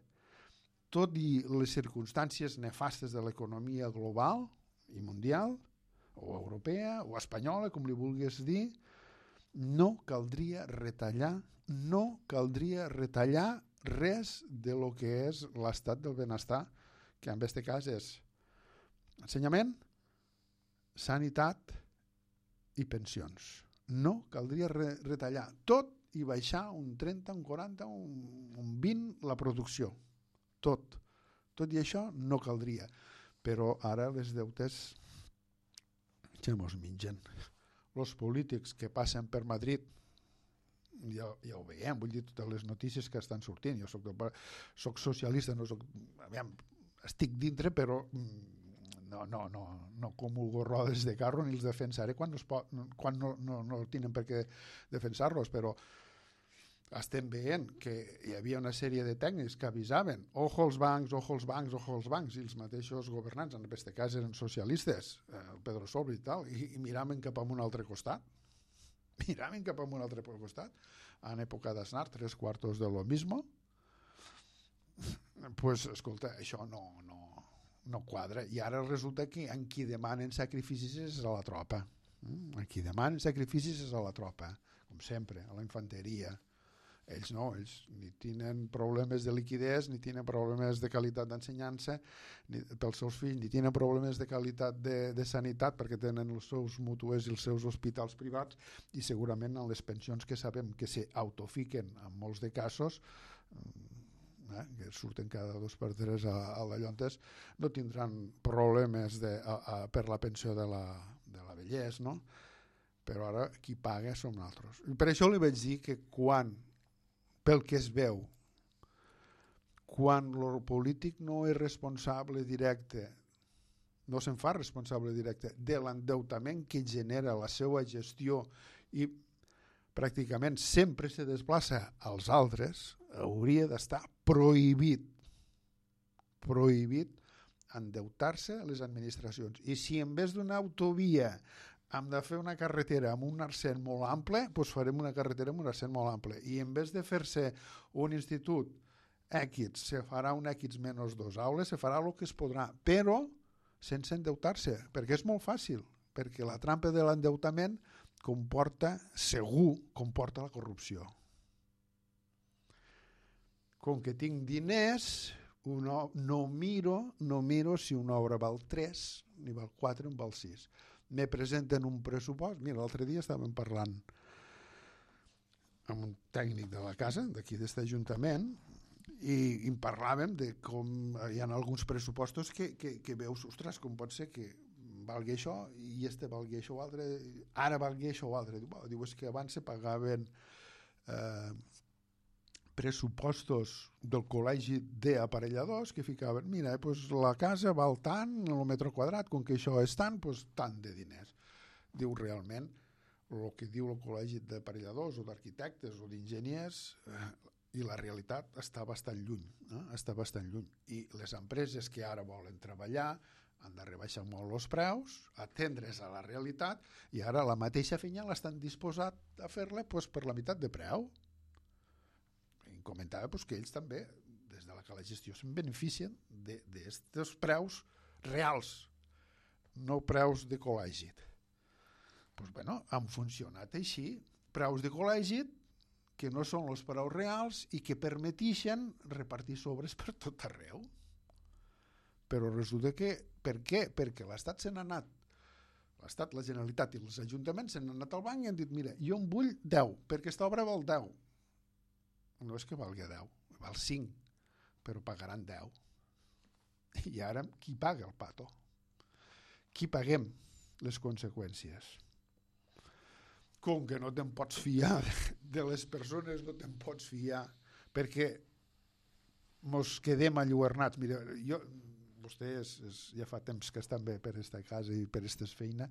tot i les circumstàncies nefastes de l'economia global i mundial, o europea, o espanyola, com li vulguis dir, no caldria retallar, no caldria retallar res de lo que és l'estat del benestar, que en aquest cas és ensenyament, sanitat i pensions. No caldria re retallar tot i baixar un trenta, un quaranta, un, un vint la producció. Tot. Tot i això no caldria. Però ara les deutes ja mos mengen. Els polítics que passen per Madrid, ja, ja ho veiem, vull dir, totes les notícies que estan sortint. Jo soc, soc socialista, no soc, aviam, estic dintre, però no, no, no, no comulgo rodes de carro ni els defensaré quan, no, pot, quan no, no, no tenen per què defensar-los, però estem veient que hi havia una sèrie de tècnics que avisaven ojo als bancs, ojo als bancs, ojo als bancs, i els mateixos governants, en aquest cas eren socialistes, el Pedro Sobre i tal, i, i miraven cap a un altre costat, miraven cap a un altre costat, en època d'Aznar, tres quartos de lo mismo, pues, escolta, això no, no, no quadra, i ara resulta que en qui demanen sacrificis és a la tropa, en qui demanen sacrificis és a la tropa, com sempre, a la infanteria. Ells no, ells ni tenen problemes de liquiditat, ni tenen problemes de qualitat d'ensenyança pels seus fills, ni tenen problemes de qualitat de, de sanitat perquè tenen els seus mútues i els seus hospitals privats, i segurament en les pensions que sabem que s'autofiquen en molts de casos, eh, que surten cada dos per tres a, a la Llontes, no tindran problemes de, a, a, per la pensió de la, de la vellesa, no? Però ara qui paga som nosaltres. I per això li vaig dir que quan pel que es veu, quan el polític no és responsable directe, no se'n fa responsable directe de l'endeutament que genera la seva gestió i pràcticament sempre se desplaça als altres, hauria d'estar prohibit, prohibit endeutar-se a les administracions. I si en vez d'una autovia hem de fer una carretera amb un arcent molt ample, doncs farem una carretera amb un arcent molt ample. I en vez de fer-se un institut X, se farà un X menys dos aules, se farà el que es podrà, però sense endeutar-se, perquè és molt fàcil, perquè la trampa de l'endeutament comporta, segur, comporta la corrupció. Com que tinc diners, uno, no miro no miro si una obra val tres, ni val quatre, ni val sis. Me presenten un pressupost. Mira, l'altre dia estàvem parlant amb un tècnic de la casa, d'aquí d'aquest ajuntament, i, i en parlàvem de com hi ha alguns pressupostos que, que, que veus, ostres, com pot ser que valgui això i este valgui això o altre, ara valgui això o altre. Diu, és que abans se pagaven eh, pressupostos del col·legi d'aparelladors que ficaven, mira, doncs la casa val tant, el metre quadrat, com que això és tant, doncs tant de diners. Diu, realment, el que diu el col·legi d'aparelladors o d'arquitectes o d'enginyers eh, i la realitat està bastant lluny, eh? està bastant lluny. I les empreses que ara volen treballar han de rebaixar molt els preus, atendre's a la realitat, i ara la mateixa feina l'estan disposats a fer-la doncs, per la meitat de preu. Comentava pues, que ells també, des de la que la gestió, se'n beneficien d'aquests preus reals, no preus de col·legi. Pues, bueno, han funcionat així, preus de col·legi que no són els preus reals i que permetixen repartir sobres per tot arreu. Però resulta que, per què? Perquè l'Estat se n'ha anat, l'Estat, la Generalitat i els ajuntaments se n'han anat al banc i han dit, mira, jo en vull deu, perquè aquesta obra val deu. No és que valgui deu, val cinc, però pagaran deu. I ara, qui paga el pato? Qui paguem les conseqüències? Com que no te'n pots fiar de les persones, no te'n pots fiar, perquè mos quedem alluernats. Mira, jo, vostè és, és, ja fa temps que està bé per esta casa i per esta feina,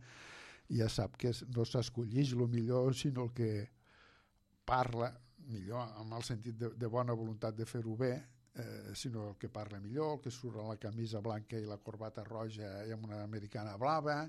i ja sap que no s'escolleix el millor, sinó el que parla millor, amb el sentit de, de bona voluntat de fer-ho bé, eh, sinó el que parla millor, el que surt amb la camisa blanca i la corbata roja i amb una americana blava,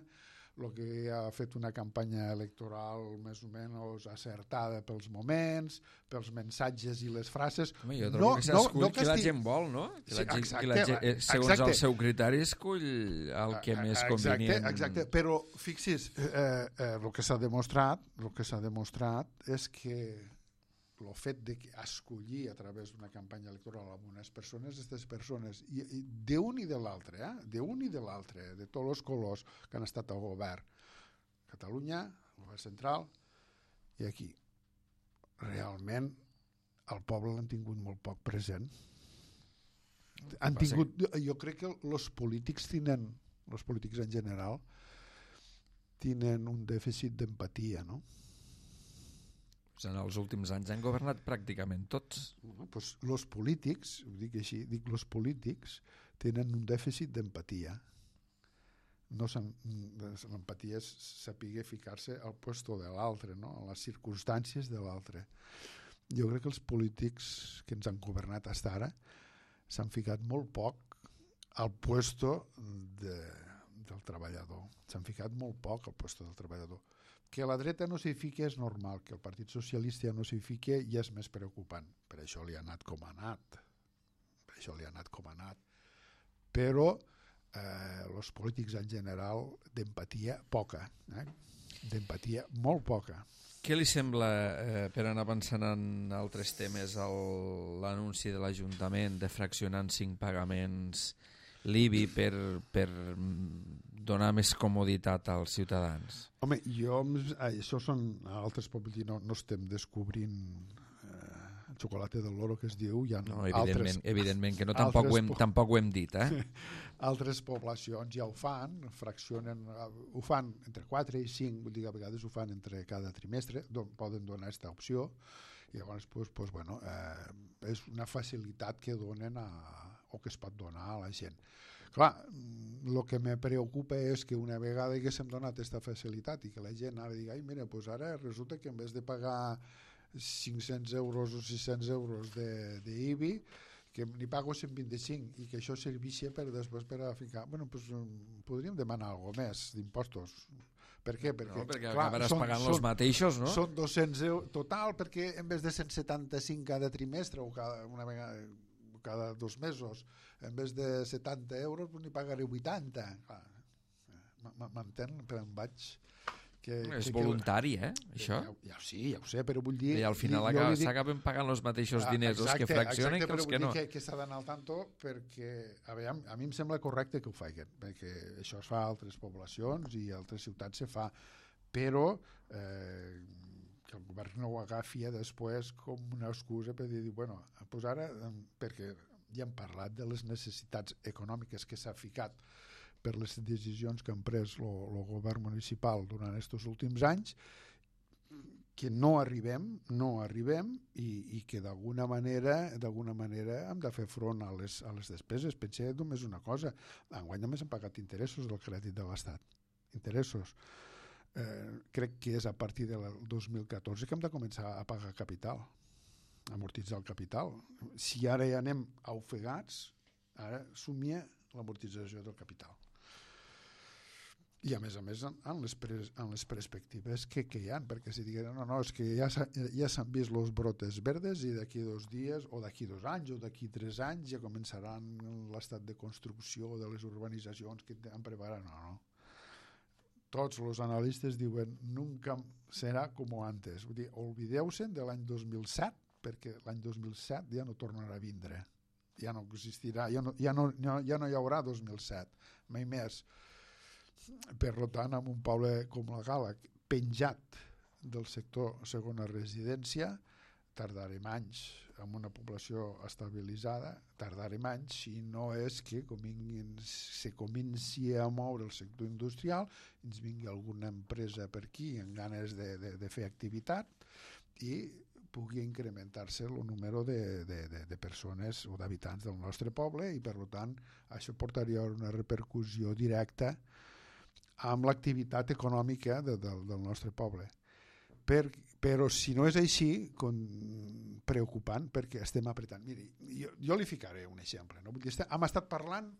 el que ha fet una campanya electoral més o menys acertada pels moments, pels missatges i les frases. Home, jo trobo no, que s'escull no, no qui la gent vol, no? Que la gent, exacte, la gent, segons exacte. El seu critari, escull el que més convenient. Exacte, exacte. Però fixi's, eh, eh, el que s'ha demostrat, el que s'ha demostrat és que el fet de escollir a través d'una campanya electoral amb unes persones, aquestes persones, i, i d'un i de l'altre, eh? d'un i de l'altre, de tots els colors que han estat al govern, Catalunya, el govern central, i aquí. Realment, el poble l'han tingut molt poc present. Han tingut, jo crec que els polítics tenen, els polítics en general, tenen un dèficit d'empatia, no? En els últims anys han governat pràcticament tots. No, doncs els polítics, ho dic així, dic els polítics tenen un dèficit d'empatia. No l'empatia és saber ficar-se al puesto de l'altre, no? A les circumstàncies de l'altre. Jo crec que els polítics que ens han governat fins ara s'han ficat molt poc al puesto de, del treballador. S'han ficat molt poc al puesto del treballador. Que la dreta no s'hi fiqui és normal, que el Partit Socialista no s'hi fiqui ja és més preocupant. Per això li ha anat com ha anat. Per això li ha anat com ha anat. Però eh, els polítics en general d'empatia poca. Eh? D'empatia molt poca. Què li sembla, eh, per anar avançant en altres temes, l'anunci de l'Ajuntament de fraccionar en cinc pagaments l'I B I per, per donar més comoditat als ciutadans? Home, jo, això són altres pobles, no, no estem descobrint eh, el xocolate del loro que es diu, hi ha no, evidentment, altres, evidentment que no, tampoc, ho hem, tampoc ho hem dit, eh? Altres poblacions ja ho fan, fraccionen, ho fan entre quatre i cinc, vull dir que a vegades ho fan entre cada trimestre, don, poden donar aquesta opció, i llavors pues, pues, bueno, eh, és una facilitat que donen a, o que es pot donar a la gent. Clar, el que me preocupa és que una vegada que s'hem donat aquesta facilitat i que la gent ara digui, ai mira, pues ara resulta que en vez de pagar cinc-cents euros o sis-cents euros d'I B I, que n'hi pago cent vint-i-cinc i que això servixi per després per a ficar... Bueno, pues, podríem demanar alguna més d'impostos. Per què? Perquè, no, perquè clar, acabaràs són, pagant els mateixos, no? Són dos-cents euros total, perquè en vez de cent setanta-cinc cada trimestre o cada, una vegada, cada dos mesos, en vez de setanta euros, pues n'hi pagaré vuitanta. M'entén? Per on vaig... Que, és que, voluntari, eh, això? Ja, ja, sí, ja ho sé, però vull dir... I al final s'acaben pagant els mateixos diners els que fraccionen que els que no. Exacte, que, que s'ha d'anar al tanto perquè, a, veure, a mi em sembla correcte que ho facin, perquè això es fa a altres poblacions i a altres ciutats se fa, però eh, que el govern no ho agafi després com una excusa per dir, bueno, pues ara, perquè ja hem parlat de les necessitats econòmiques que s'ha ficat per les decisions que han pres el govern municipal durant aquests últims anys, que no arribem, no arribem i, i que d'alguna manera d'alguna manera hem de fer front a les, a les despeses. Pensé només una cosa, enguany només hem pagat interessos del crèdit de l'Estat. Interessos. Eh, crec que és a partir del dos mil catorze que hem de començar a pagar capital, amortitzar el capital. Si ara ja anem ofegats, ara somia l'amortització del capital. I a més a més en les, pres, en les perspectives que, que hi ha, perquè si digueren no, no, és que ja, ja s'han vist los brotes verdes i d'aquí dos dies o d'aquí dos anys o d'aquí tres anys ja començaran l'estat de construcció de les urbanitzacions que han preparat. No, no. Tots els analistes diuen nunca serà com antes. Vull dir, oblideu-se de l'any dos mil set perquè l'any dos mil set ja no tornarà a vindre. Ja no existirà, ja no, ja no, ja no hi haurà dos mil set, mai més. Per tant, en un poble com la Gala, penjat del sector segona residència, tardarem anys, amb una població estabilitzada, tardarem anys, si no és que cominguin, se comenci a moure el sector industrial, ens vingui alguna empresa per aquí amb ganes de, de, de fer activitat i pugui incrementar-se el número de, de, de, de persones o d'habitants del nostre poble i, per tant, això portaria una repercussió directa amb l'activitat econòmica de, de, del nostre poble. Per, però si no és així, con, preocupant, perquè estem apretant. Miri, jo, jo li ficaré un exemple. No? Vull dir, hem estat parlant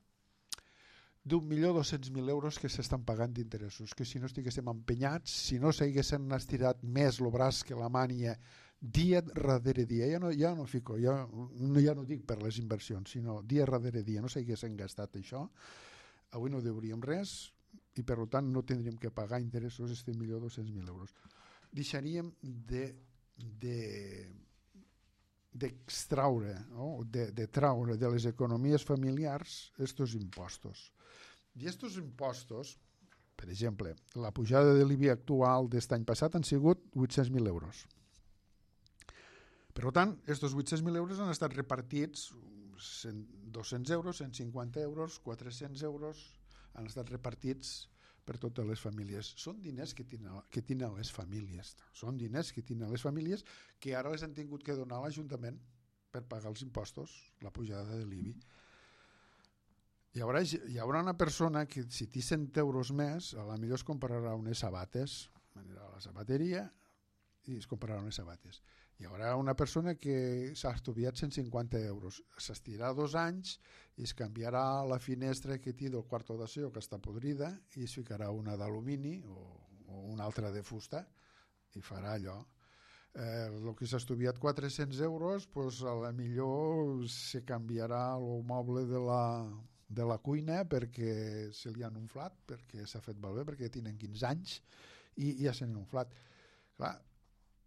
d'un milió dos-cents mil euros que s'estan pagant d'interessos, que si no estiguéssim empenyats, si no s'haguessin estirat més el braç que la mània dia darrere dia, ja no, ja no fico, ja no, ja no dic per les inversions, sinó dia darrere dia, no s'haguessin gastat això, avui no deuríem res i per tant no tindríem que pagar interessos este milió dos-cents mil euros. Deixaríem de, de d'extraure, no? de, de traure de les economies familiars estos impostos. I estos impostos, per exemple, la pujada de l'I B I actual d'est any passat han sigut vuit-cents mil euros. Per tant, estos vuit-cents mil euros han estat repartits dos-cents euros, cent cinquanta euros, quatre-cents euros, han estat repartits per totes les famílies. Són diners que tenen, que tenen les famílies. Són diners que tenen les famílies que ara les han tingut que donar a l'Ajuntament per pagar els impostos, la pujada de l'I B I. Hi haurà, hi haurà una persona que si té cent euros més, a la millor es comprarà unes sabates, anirà a la sabateria i es comprarà unes sabates. Hi haurà una persona que s'ha estudiat cent cinquanta euros, s'estirà dos anys i es canviarà la finestra que té del quarto d'aseo que està podrida i es ficarà una d'alumini o, o una altra de fusta i farà allò. Eh, el que s'ha estudiat quatre-cents euros, pues, a la millor se canviarà el moble de la, de la cuina perquè se li han inflat, perquè s'ha fet malbé, perquè tenen quinze anys i, i ja s'han inflat. Clar,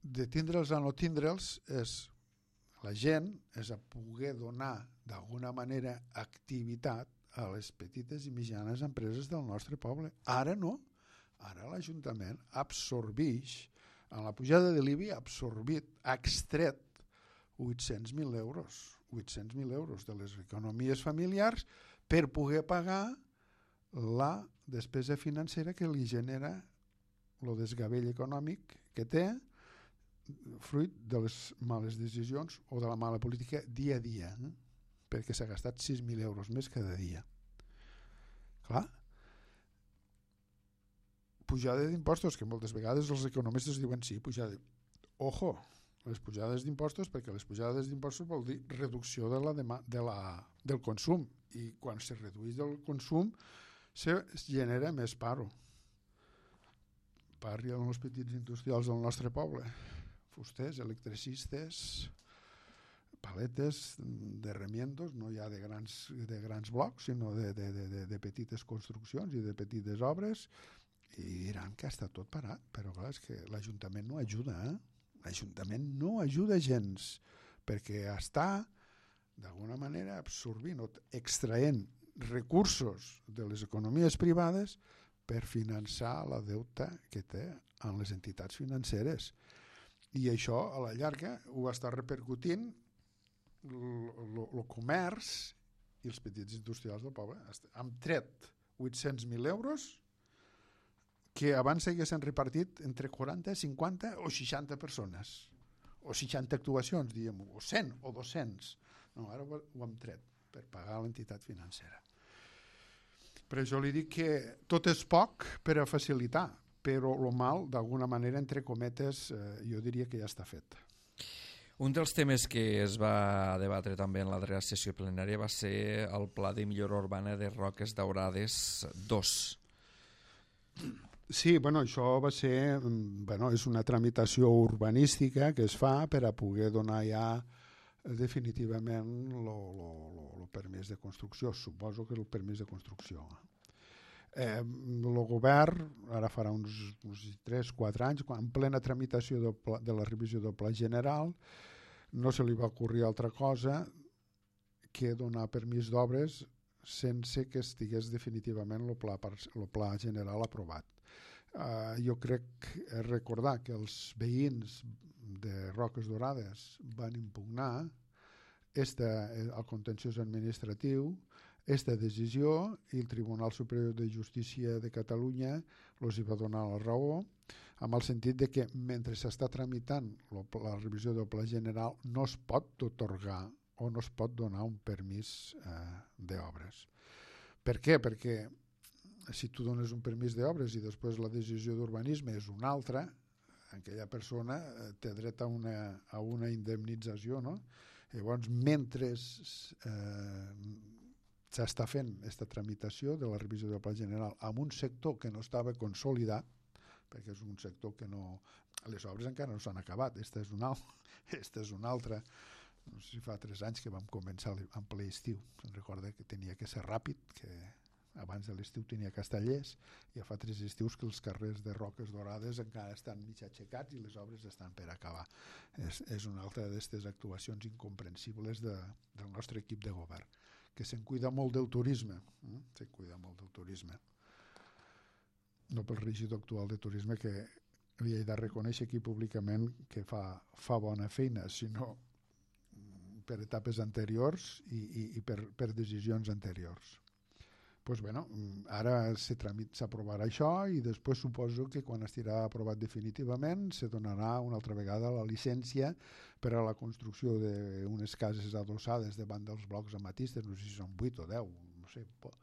de tindre'ls a no tindre'ls és la gent és a poder donar d'alguna manera activitat a les petites i mitjanes empreses del nostre poble. Ara no, ara l'Ajuntament absorbeix, en la pujada de l'I B I ha absorbit, ha extret vuit-cents mil euros, vuit-cents mil euros de les economies familiars per poder pagar la despesa financera que li genera el desgavell econòmic que té fruit de les males decisions o de la mala política dia a dia, eh? Perquè s'ha gastat sis mil euros més cada dia. Clar, pujada d'impostos, que moltes vegades els economistes diuen sí, pujada. Ojo, les pujades d'impostos, perquè les pujades d'impostos vol dir reducció de la dema, de la, del consum, i quan se redueix el consum se genera més paro. Parli amb els petits industrials del nostre poble, fusters, electricistes, paletes de remiendos, no ja de grans, de grans blocs, sinó de, de, de, de petites construccions i de petites obres, i diran que està tot parat, però clar, és que l'Ajuntament no ajuda, eh? L'Ajuntament no ajuda gens, perquè està d'alguna manera absorbint o extraient recursos de les economies privades per finançar la deuta que té en les entitats financeres. I això, a la llarga, ho està repercutint el comerç i els petits industrials del poble. Han tret vuit-cents mil euros que abans s'haguessin repartit entre quaranta, cinquanta o seixanta persones. O seixanta actuacions, diguem-ho, o cent o dos-cents. No, ara ho hem tret per pagar l'entitat financera. Per això li dic que tot és poc per a facilitar, però el mal, d'alguna manera, entre cometes, eh, jo diria que ja està fet. Un dels temes que es va debatre també en la darrera sessió plenària va ser el Pla de Millora Urbana de Roques Daurades dos. Sí, bueno, això va ser, bueno, és una tramitació urbanística que es fa per a poder donar ja definitivament el permís de construcció. Suposo que el permís de construcció. Eh, el govern, ara farà uns, uns tres o quatre anys, quan en plena tramitació del pla, de la revisió del Pla General, no se li va ocorrir altra cosa que donar permís d'obres sense que estigués definitivament el pla, el pla general aprovat. Uh, jo crec recordar que els veïns de Roques Daurades van impugnar este, el contenciós administratiu aquesta decisió i el Tribunal Superior de Justícia de Catalunya els hi va donar la raó, amb el sentit de que mentre s'està tramitant la revisió del Pla General no es pot otorgar o no es pot donar un permís eh, d'obres. Per què? Perquè si tu dones un permís d'obres i després la decisió d'urbanisme és una altra, aquella persona té dret a una, a una indemnització, no? Llavors, mentre eh, s'està fent aquesta tramitació de la revisió del Pla General en un sector que no estava consolidat, perquè és un sector que no... Les obres encara no s'han acabat, aquesta és una, aquesta és una altra. No sé si fa tres anys que vam començar en ple estiu. Se'n recorda que tenia que ser ràpid, que abans de l'estiu tenia Castellers, i ja fa tres estius que els carrers de Roques Dorades encara estan mig aixecats i les obres estan per acabar. És, és una altra d'aquestes actuacions incomprensibles de, del nostre equip de govern, que se'n cuida molt del turisme, eh? se'n cuida molt del turisme. No pel regidor actual de turisme, que li he de reconèixer aquí públicament que fa, fa bona feina, sinó per etapes anteriors i, i, i per, per decisions anteriors. Pues bueno, ara s'aprovarà això i després suposo que quan estirà aprovat definitivament se donarà una altra vegada la llicència per a la construcció d'unes cases adossades davant dels blocs amatistes, no sé si són vuit o deu, no sé, po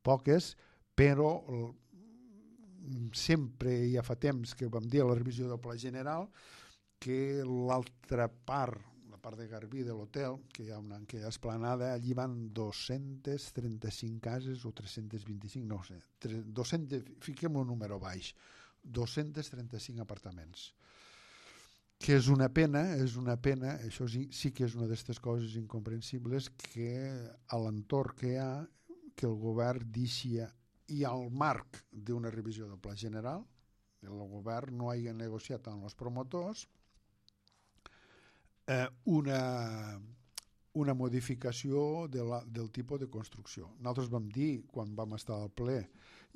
poques, però sempre ja fa temps que vam dir a la revisió del Pla General que l'altra part, la part de Garbí de l'hotel, que hi ha una que hi ha esplanada, allí van dos-centes trenta-cinc cases o tres-centes vint-i-cinc, no sé, dos-cents, fiquem un número baix, dos-cents trenta-cinc apartaments. Que és una pena, és una pena, això sí, sí que és una d'aquestes coses incomprensibles, que a l'entorn que hi ha, que el govern deixi i al marc d'una revisió del Pla General, el govern no hagi negociat amb els promotors eh, una, una modificació de la, del tipus de construcció. Nosaltres vam dir, quan vam estar al ple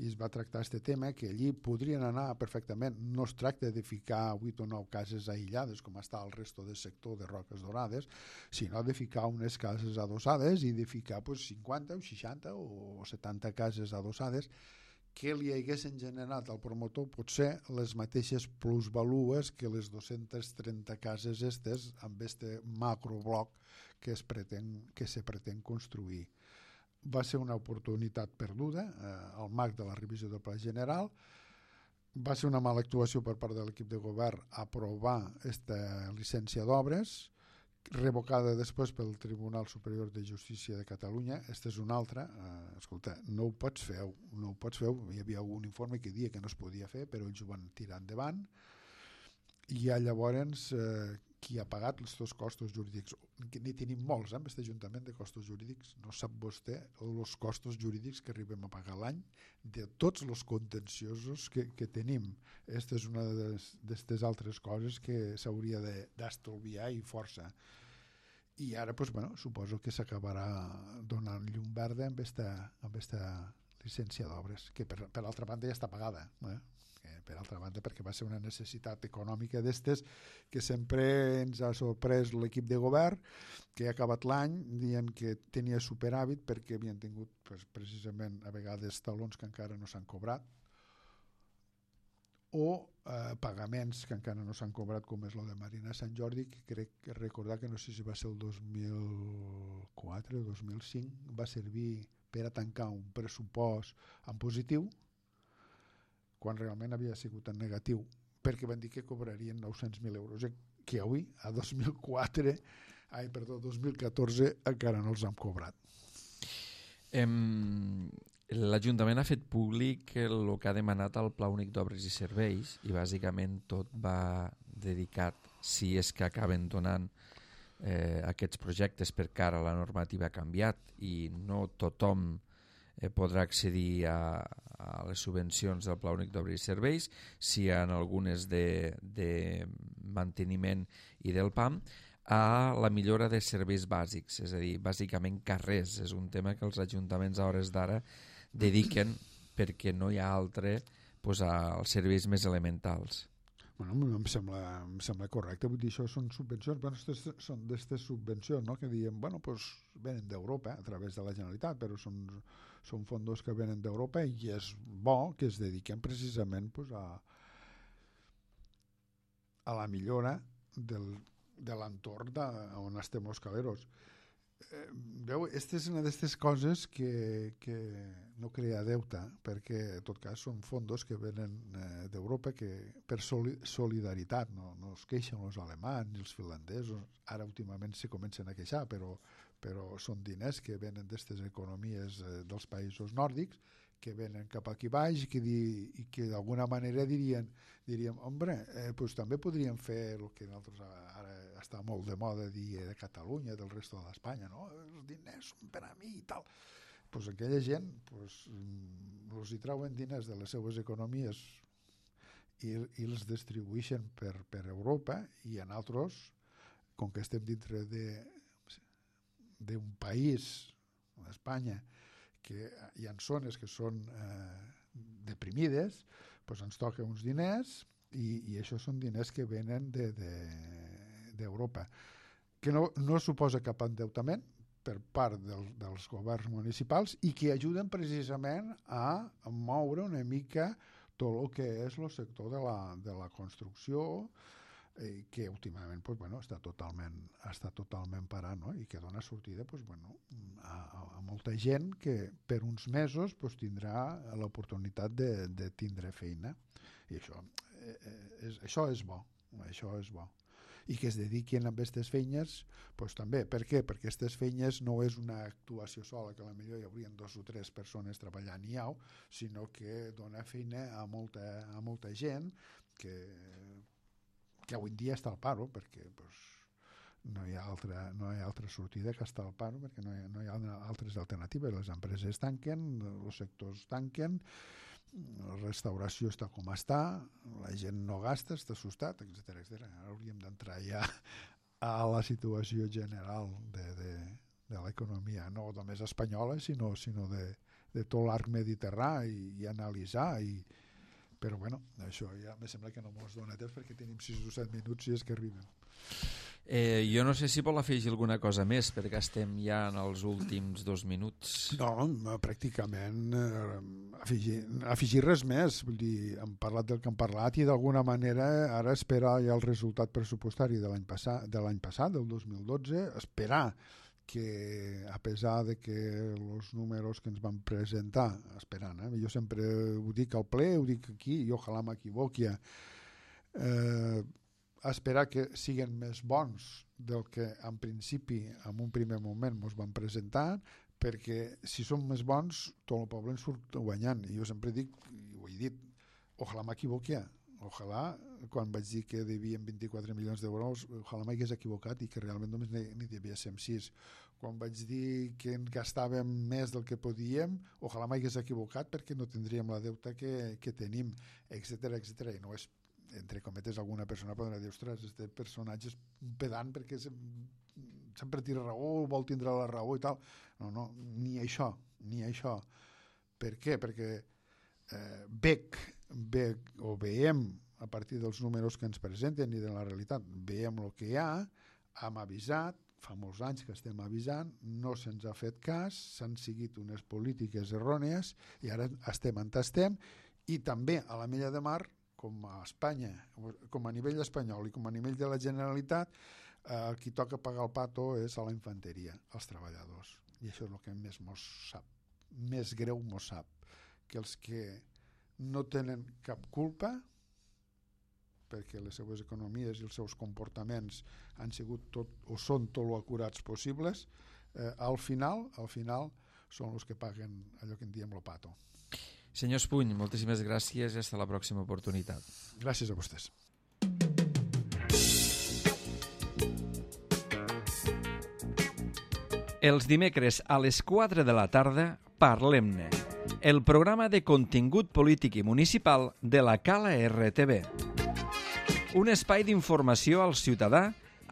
i es va tractar aquest tema, que allí podrien anar perfectament. No es tracta de ficar vuit o nou cases aïllades, com està el resto del sector de Roques Dorades, sinó de ficar unes cases adossades i de ficar pues, cinquanta o seixanta o setanta cases adossades que li haguessin generat al promotor potser les mateixes plusvalues que les dos-centes trenta cases estes amb este macrobloc que es pretén, que se pretén construir. Va ser una oportunitat perduda eh, al marc de la revisió del Pla General. Va ser una mala actuació per part de l'equip de govern aprovar aquesta llicència d'obres, revocada després pel Tribunal Superior de Justícia de Catalunya. Aquesta és una altra. Eh, escolta, no ho pots fer, no ho pots fer. Hi havia algun informe que dia que no es podia fer, però ells ho van tirar endavant. I ja llavors eh, qui ha pagat els seus costos jurídics, que n'hi tenim molts, eh, amb aquest ajuntament de costos jurídics, no sap vostè els costos jurídics que arribem a pagar l'any de tots els contenciosos que, que tenim. Aquesta és una d'aquestes altres coses que s'hauria d'estalviar i força. I ara, doncs, bueno, suposo que s'acabarà donant llum verda amb aquesta, amb aquesta llicència d'obres, que per, per altra banda ja està pagada, eh? Que per altra banda perquè va ser una necessitat econòmica d'estes que sempre ens ha sorprès l'equip de govern, que ha acabat l'any dient que tenia superàvit perquè havien tingut pues, precisament a vegades talons que encara no s'han cobrat o eh, pagaments que encara no s'han cobrat, com és el de Marina Sant Jordi, que crec que recordar que no sé si va ser el dos mil quatre o dos mil cinc, va servir per a tancar un pressupost en positiu quan realment havia sigut en negatiu, perquè van dir que cobrarien nou-cents mil euros, que avui, a dos mil quatre, ai, perdó, dos mil catorze, encara no els han cobrat. Em... L'Ajuntament ha fet públic el que ha demanat al Pla Únic d'Obres i Serveis i bàsicament tot va dedicat, si és que acaben donant eh, aquests projectes perquè ara la normativa ha canviat i no tothom eh, podrà accedir a, a les subvencions del Pla Únic d'Obres i Serveis, si hi ha algunes de, de manteniment i del P A M, a la millora de serveis bàsics, és a dir, bàsicament carrers. És un tema que els ajuntaments a hores d'ara dediquen perquè no hi ha altre doncs, als serveis més elementals. Bueno, em sembla, em sembla correcte, vull dir, això són subvencions, bueno, estes, són d'aquestes subvencions, no?, que diem, bueno, pues venen d'Europa a través de la Generalitat, però són, són fondos que venen d'Europa i és bo que es dediquem precisament pues, a, a la millora del, de l'entorn de, on estem els caleros. Eh, veu, aquesta és una d'aquestes coses que, que no crea deute, perquè en tot cas són fondos que venen eh, d'Europa que per soli solidaritat, no, no es queixen els alemans i els finlandesos, ara últimament se comencen a queixar, però, però són diners que venen d'aquestes economies eh, dels països nòrdics, que venen cap aquí baix i que, di, i que d'alguna manera dirien, diríem, hombre, eh, pues també podríem fer el que nosaltres ara està molt de moda dir de Catalunya, del resto de l'Espanya, no? Els diners són per a mi i tal. Pues aquella gent pues, els hi trauen diners de les seues economies i, i els distribueixen per, per Europa i en altres, com que estem dintre d'un país, Espanya, que hi ha zones que són eh, deprimides, doncs ens toca uns diners i, i això són diners que venen d'Europa. De, de, que no, no suposa cap endeutament per part del, dels governs municipals i que ajuden precisament a, a moure una mica tot el que és el sector de la, de la construcció, eh, que últimament pues, bueno, està totalment, està totalment parat, no? I que dona sortida pues, bueno, a, a molta gent que per uns mesos pues, tindrà l'oportunitat de, de tindre feina. I això, eh, és, això és bo, això és bo. I que es dediquin a aquestes feines, pues, també. Per què? Perquè aquestes feines no és una actuació sola, que potser hi haurien dos o tres persones treballant i au, sinó que dona feina a molta, a molta gent que que avui en dia està al paro, perquè pues, no, hi ha altra, no hi ha altra sortida que estar al paro, perquè no hi, no hi ha altres alternatives. Les empreses tanquen, els sectors tanquen, la restauració està com està, la gent no gasta, està assustat, etcètera etcètera. Ara hauríem d'entrar ja a la situació general de, de, de l'economia, no només espanyola, sinó, sinó de, de tot l'arc mediterrani i, i analitzar i però bueno, això ja me sembla que no mos dona temps perquè tenim sis o set minuts i és que arribem. Eh, jo no sé si vol afegir alguna cosa més perquè estem ja en els últims dos minuts. No, pràcticament eh, afegir, afegir res més. Vull dir, hem parlat del que hem parlat i d'alguna manera ara esperar ja el resultat pressupostari de l'any passat, de l'any passat, del dos mil dotze, esperar que a pesar de que els números que ens van presentar, esperant, eh? Jo sempre ho dic al ple, ho dic aquí, i ojalà m'equivoqui, eh, esperar que siguin més bons del que en principi, en un primer moment, ens van presentar, perquè si són més bons, tot el poble en surt guanyant. I jo sempre dic, i ho he dit, ojalà m'equivoqui, ojalà, quan vaig dir que devien vint-i-quatre milions d'euros, ojalà m'hagués equivocat i que realment només n'hi devia ser sis. Quan vaig dir que en gastàvem més del que podíem, ojalà m'hagués equivocat perquè no tindríem la deuta que, que tenim, etcètera, etcètera. I no és, entre cometes, alguna persona podrà dir, ostres, este personatge és pedant perquè sempre tira raó, vol tindre la raó i tal. No, no, ni això, ni això. Per què? Perquè eh, bec, bec o veiem a partir dels números que ens presenten i de la realitat, veiem el que hi ha, hem avisat, fa molts anys que estem avisant, no se'ns ha fet cas, s'han seguit unes polítiques errònies i ara estem on estem i també a la Mella de Mar, com a Espanya, com a nivell espanyol i com a nivell de la Generalitat, eh, qui toca pagar el pato és a la infanteria, als treballadors. I això és el que més mos sap, més greu mos sap, que els que no tenen cap culpa perquè les seues economies i els seus comportaments han sigut tot, o són tot lo acurats possibles, eh, al final, al final són els que paguen allò que en diem lo pato. Senyor Espuny, moltíssimes gràcies i fins la pròxima oportunitat. Gràcies a vostès. Els dimecres a les quatre de la tarda, Parlem-ne, el programa de contingut polític i municipal de la Cala R T V. Un espai d'informació al ciutadà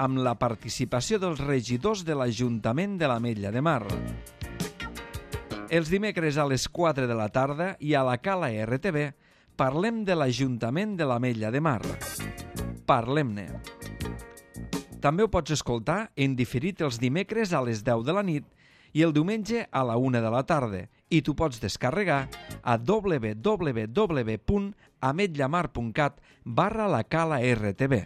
amb la participació dels regidors de l'Ajuntament de l'Ametlla de Mar. Els dimecres a les quatre de la tarda i a la Cala R T V parlem de l'Ajuntament de l'Ametlla de Mar. Parlem-ne. També ho pots escoltar en diferit els dimecres a les deu de la nit i el diumenge a la una de la tarda, i tu pots descarregar a w w w punt ametlllamar punt cat barra la cala R T V.